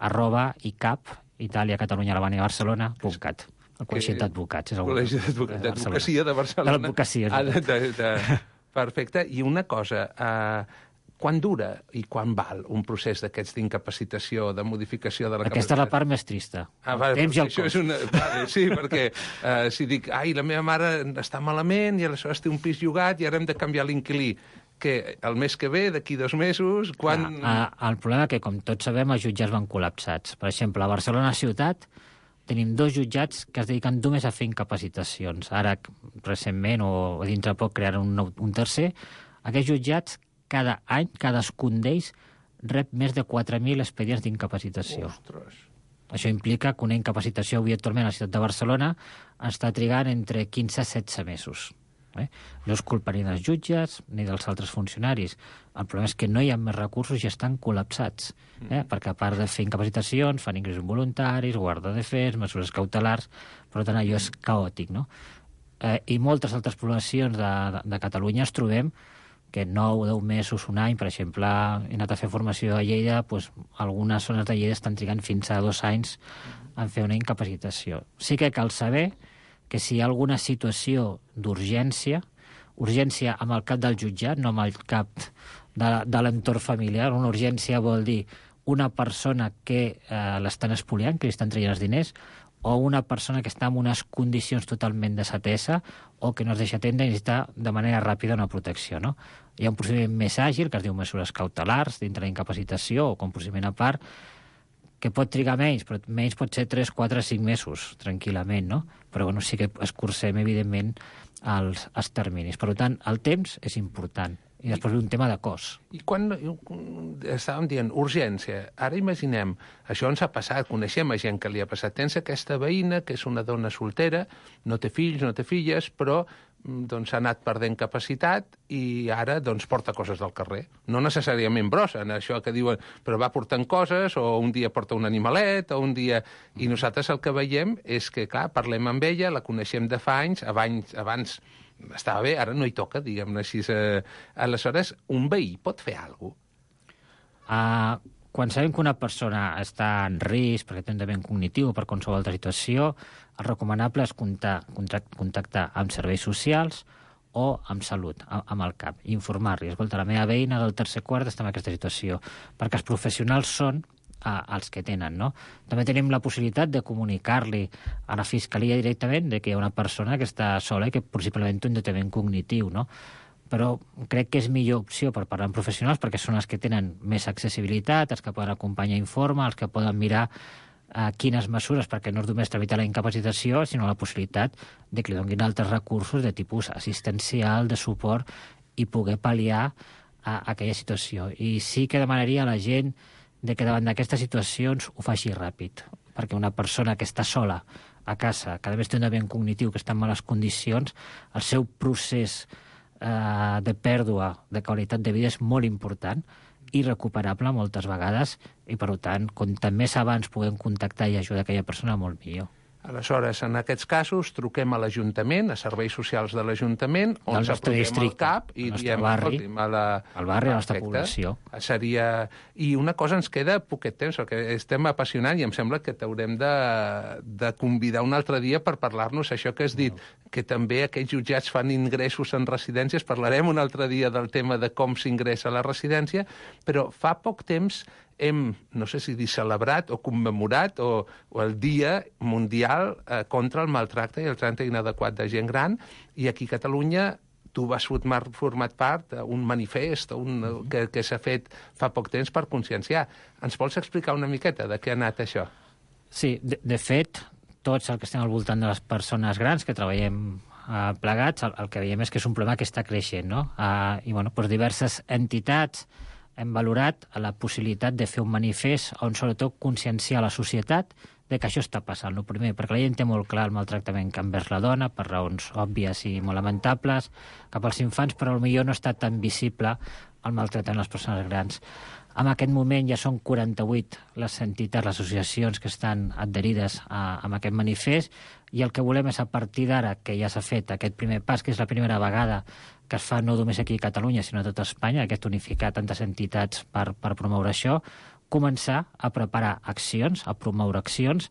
arroba icap, Itàlia, Catalunya, Albània, Barcelona, punt cat. El Col·legi d'Advocats. És el Col·legi d'Advocacia de Barcelona. De l'advocacia. Ah, de, de, de... Perfecte. I una cosa... Uh... Quan dura i quan val un procés d'aquests d'incapacitació, de modificació de la capacitat? Aquesta és la part més trista. Ah, vale, temps i el això cost. És una... vale, sí, perquè uh, si dic, ai, la meva mare està malament i aleshores té un pis llogat i ara hem de canviar l'inquilí, que el mes que ve, d'aquí dos mesos, quan... Ah, el problema és que, com tots sabem, els jutjats van col·lapsats. Per exemple, a Barcelona ciutat tenim dos jutjats que es dediquen només a fer incapacitacions. Ara, recentment, o dintre poc, crearan un, nou, un tercer. Aquests jutjats cada any, cadascun d'ells, rep més de quatre mil expedients d'incapacitació. Ostres! Això implica que una incapacitació avui actualment a la ciutat de Barcelona està trigant entre quinze i setze mesos. Eh? No és culpa ni dels jutges ni dels altres funcionaris. El problema és que no hi ha més recursos i estan col·lapsats. Eh? Perquè a part de fer incapacitacions, fan ingressos voluntaris, guarda de fets, mesures cautelars, per tant allò és caòtic, no? Eh, I moltes altres poblacions de, de, de Catalunya es trobem que nou o deu mesos, un any, per exemple, he anat a fer formació a Lleida, doncs algunes zones de Lleida estan trigant fins a dos anys en fer una incapacitació. Sí que cal saber que si hi ha alguna situació d'urgència, urgència amb el cap del jutjat, no amb el cap de, de l'entorn familiar, una urgència vol dir una persona que eh, l'estan espoliant, que li estan traient els diners, o una persona que està en unes condicions totalment desatesa o que no es deixa atendre i necessita de manera ràpida una protecció, no? Hi ha un procediment més àgil, que es diu mesures cautelars, dintre la incapacitació o com procediment a part, que pot trigar menys, però menys pot ser tres, quatre, cinc mesos, tranquil·lament, no? Però bueno, sí que escurcem, evidentment, els, els terminis. Per tant, el temps és important. I després ve un tema de cost. I quan estàvem dient urgència, ara imaginem, això ens ha passat, coneixem a gent que li ha passat, tens aquesta veïna que és una dona soltera, no té fills, no té filles, però doncs s'ha anat perdent capacitat i ara doncs porta coses del carrer. No necessàriament brossa, això que diuen, però va portant coses, o un dia porta un animalet, o un dia... I nosaltres el que veiem és que, clar, parlem amb ella, la coneixem de fa anys, abans, abans estava bé, ara no hi toca, diguem-ne així. Eh, aleshores, un veí pot fer alguna cosa? Uh, quan sabem que una persona està en risc perquè té un dement cognitiu o per qualsevol altra situació, el recomanable és contactar, contactar amb serveis socials o amb salut, amb el CAP, i informar-li. Escolta, la meva veïna del tercer quart està en aquesta situació, perquè els professionals són a, als que tenen, no? També tenim la possibilitat de comunicar-li a la Fiscalia directament de que hi ha una persona que està sola i que possiblement té un deteriorament cognitiu, no? Però crec que és millor opció per parlar amb professionals perquè són els que tenen més accessibilitat, els que poden acompanyar informe, els que poden mirar eh, quines mesures, perquè no és només tramitar la incapacitació, sinó la possibilitat de que li donin altres recursos de tipus assistencial, de suport, i poder pal·liar a aquella situació. I sí que demanaria a la gent de que davant d'aquestes situacions ho faci ràpid, perquè una persona que està sola a casa, que a més té un aviat cognitiu que està en males condicions, el seu procés eh, de pèrdua de qualitat de vida és molt important i recuperable moltes vegades, i per tant, com més abans puguem contactar i ajudar aquella persona, molt millor. Aleshores, en aquests casos, truquem a l'Ajuntament, a serveis socials de l'Ajuntament, on Del ens nostre apropem al districte, cap i al nostre diem, barri, escolti'm, a la... al barri, a la nostra Perfecte. població. Seria... I una cosa, ens queda poquet temps, perquè estem apassionant i em sembla que t'haurem de, de convidar un altre dia per parlar-nos això que has dit, que també aquells jutjats fan ingressos en residències. Parlarem un altre dia del tema de com s'ingressa a la residència, però fa poc temps hem, no sé si dir celebrat o commemorat o, o el Dia Mundial eh, contra el maltracte i el tracte inadequat de gent gran, i aquí a Catalunya tu vas formar, format part d'un manifest un, que, que s'ha fet fa poc temps per conscienciar. Ens vols explicar una miqueta de què ha anat això? Sí, de, de fet, tots els que estem al voltant de les persones grans que treballem eh, plegats, el, el que veiem és que és un problema que està creixent, no? Eh, I, bueno, doncs diverses entitats hem valorat la possibilitat de fer un manifest on sobretot conscienciar la societat de que això està passant. El primer, perquè la gent té molt clar el maltractament que envers la dona, per raons òbvies i molt lamentables, cap als infants, però potser no està tan visible el maltractament a les persones grans. En aquest moment ja són quaranta-vuit les entitats, les associacions que estan adherides a, a aquest manifest, i el que volem és, a partir d'ara, que ja s'ha fet aquest primer pas, que és la primera vegada que es fa no només aquí a Catalunya, sinó a tota Espanya, aquest unificar tantes entitats per, per promoure això, començar a preparar accions, a promoure accions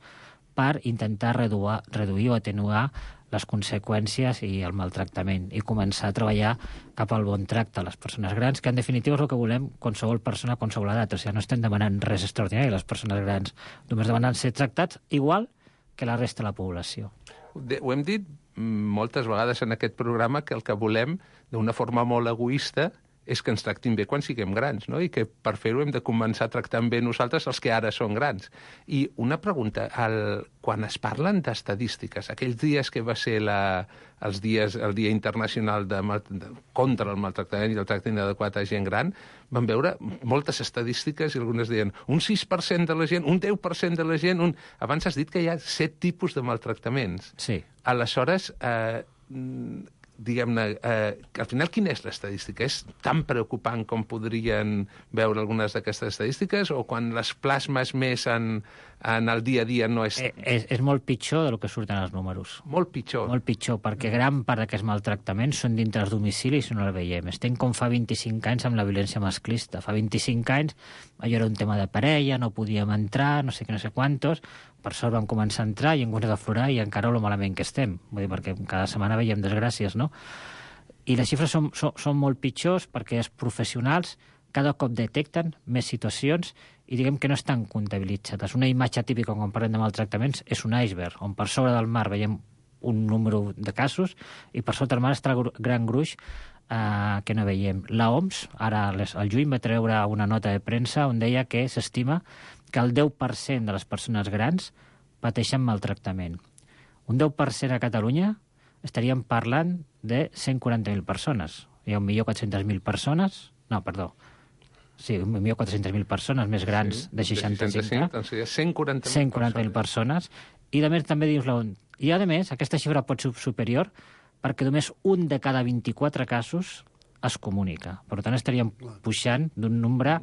per intentar reduir, reduir o atenuar les conseqüències i el maltractament, i començar a treballar cap al bon tracte a les persones grans, que en definitiva és el que volem qualsevol persona a qualsevol edat. O sigui, no estem demanant res extraordinari, les persones grans només demanen ser tractats igual que la resta de la població. Ho hem dit moltes vegades en aquest programa, que el que volem, d'una forma molt egoista, és que ens tractin bé quan siguem grans, no? I que per fer-ho hem de començar tractant bé nosaltres els que ara són grans. I una pregunta, el, quan es parlen d'estadístiques, aquells dies que va ser la, els dies, el Dia Internacional de, de, contra el maltractament i el tracte inadequat a gent gran, vam veure moltes estadístiques i algunes deien un sis per cent de la gent, un deu per cent de la gent... Un... Abans has dit que hi ha set tipus de maltractaments. Sí. Aleshores, eh, diguem-ne, eh, al final quina és l'estadística? És tan preocupant com podrien veure algunes d'aquestes estadístiques, o quan les plasmes més en, en el dia a dia no és... Eh, és... És molt pitjor del que surten els números. Molt pitjor. Molt pitjor, perquè gran part d'aquests maltractaments són dintre els domicilis i no el veiem. Estem com fa vint-i-cinc anys amb la violència masclista. Fa vint-i-cinc anys allò era un tema de parella, no podíem entrar, no sé què, no sé quantos. Per sort vam començar a entrar i hem començat a aflorar, i encara lo malament que estem. Vull dir, perquè cada setmana veiem desgràcies, no? I les xifres són, són, són molt pitjors perquè els professionals cada cop detecten més situacions i diguem que no estan comptabilitzades. Una imatge típica quan parlem de maltractaments és un iceberg, on per sobre del mar veiem un número de casos i per sota del mar està el gran gruix eh, que no veiem. La O M S, ara al juny, va treure una nota de premsa on deia que s'estima que el deu per cent de les persones grans pateixen maltractament. Un deu per cent a Catalunya estaríem parlant de cent quaranta mil persones. Hi ha un milió quatre-cents mil persones... No, perdó. Sí, un milió quatre-cents mil persones més grans sí, de seixanta-cinc. Doncs sí, cent quaranta mil cent quaranta mil persones. I, a més, també dius la O M S. I, a més, aquesta xifra pot ser superior perquè només un de cada vint-i-quatre casos es comunica. Per tant, estaríem pujant d'un nombre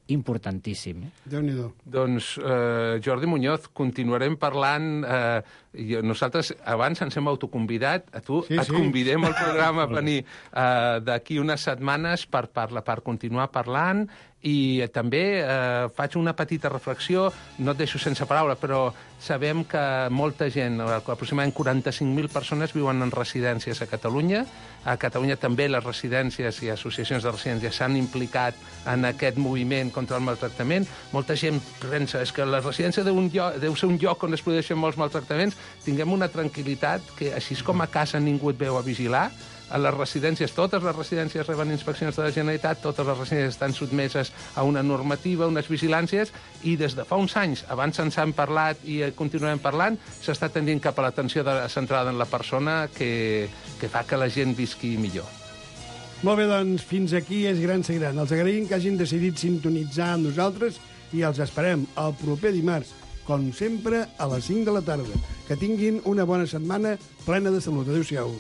importantíssim. Déu-n'hi-do. Doncs, eh, Jordi Muñoz, continuarem parlant. Eh, i nosaltres abans ens hem autoconvidat. A tu sí, et sí. convidem al programa a venir eh, d'aquí unes setmanes per, parla, per continuar parlant. I també eh, faig una petita reflexió, no et deixo sense paraula, però sabem que molta gent, aproximadament quaranta-cinc mil persones, viuen en residències a Catalunya. A Catalunya també les residències i associacions de residències s'han implicat en aquest moviment contra el maltractament. Molta gent pensa és que la residència deu, un lloc, deu ser un lloc on es produeixen molts maltractaments. Tinguem una tranquil·litat que, així com a casa ningú et veu a vigilar, a les residències, totes les residències reben inspeccions de la Generalitat, totes les residències estan sotmeses a una normativa, unes vigilàncies, i des de fa uns anys, abans ens han parlat i continuem parlant, s'està tendint cap a l'atenció centrada en la persona que, que fa que la gent visqui millor. Molt bé, doncs, fins aquí és Gran Ser Gran. Els agraïm que hagin decidit sintonitzar amb nosaltres i els esperem el proper dimarts, com sempre, a les cinc de la tarda. Que tinguin una bona setmana plena de salut. Adéu-siau.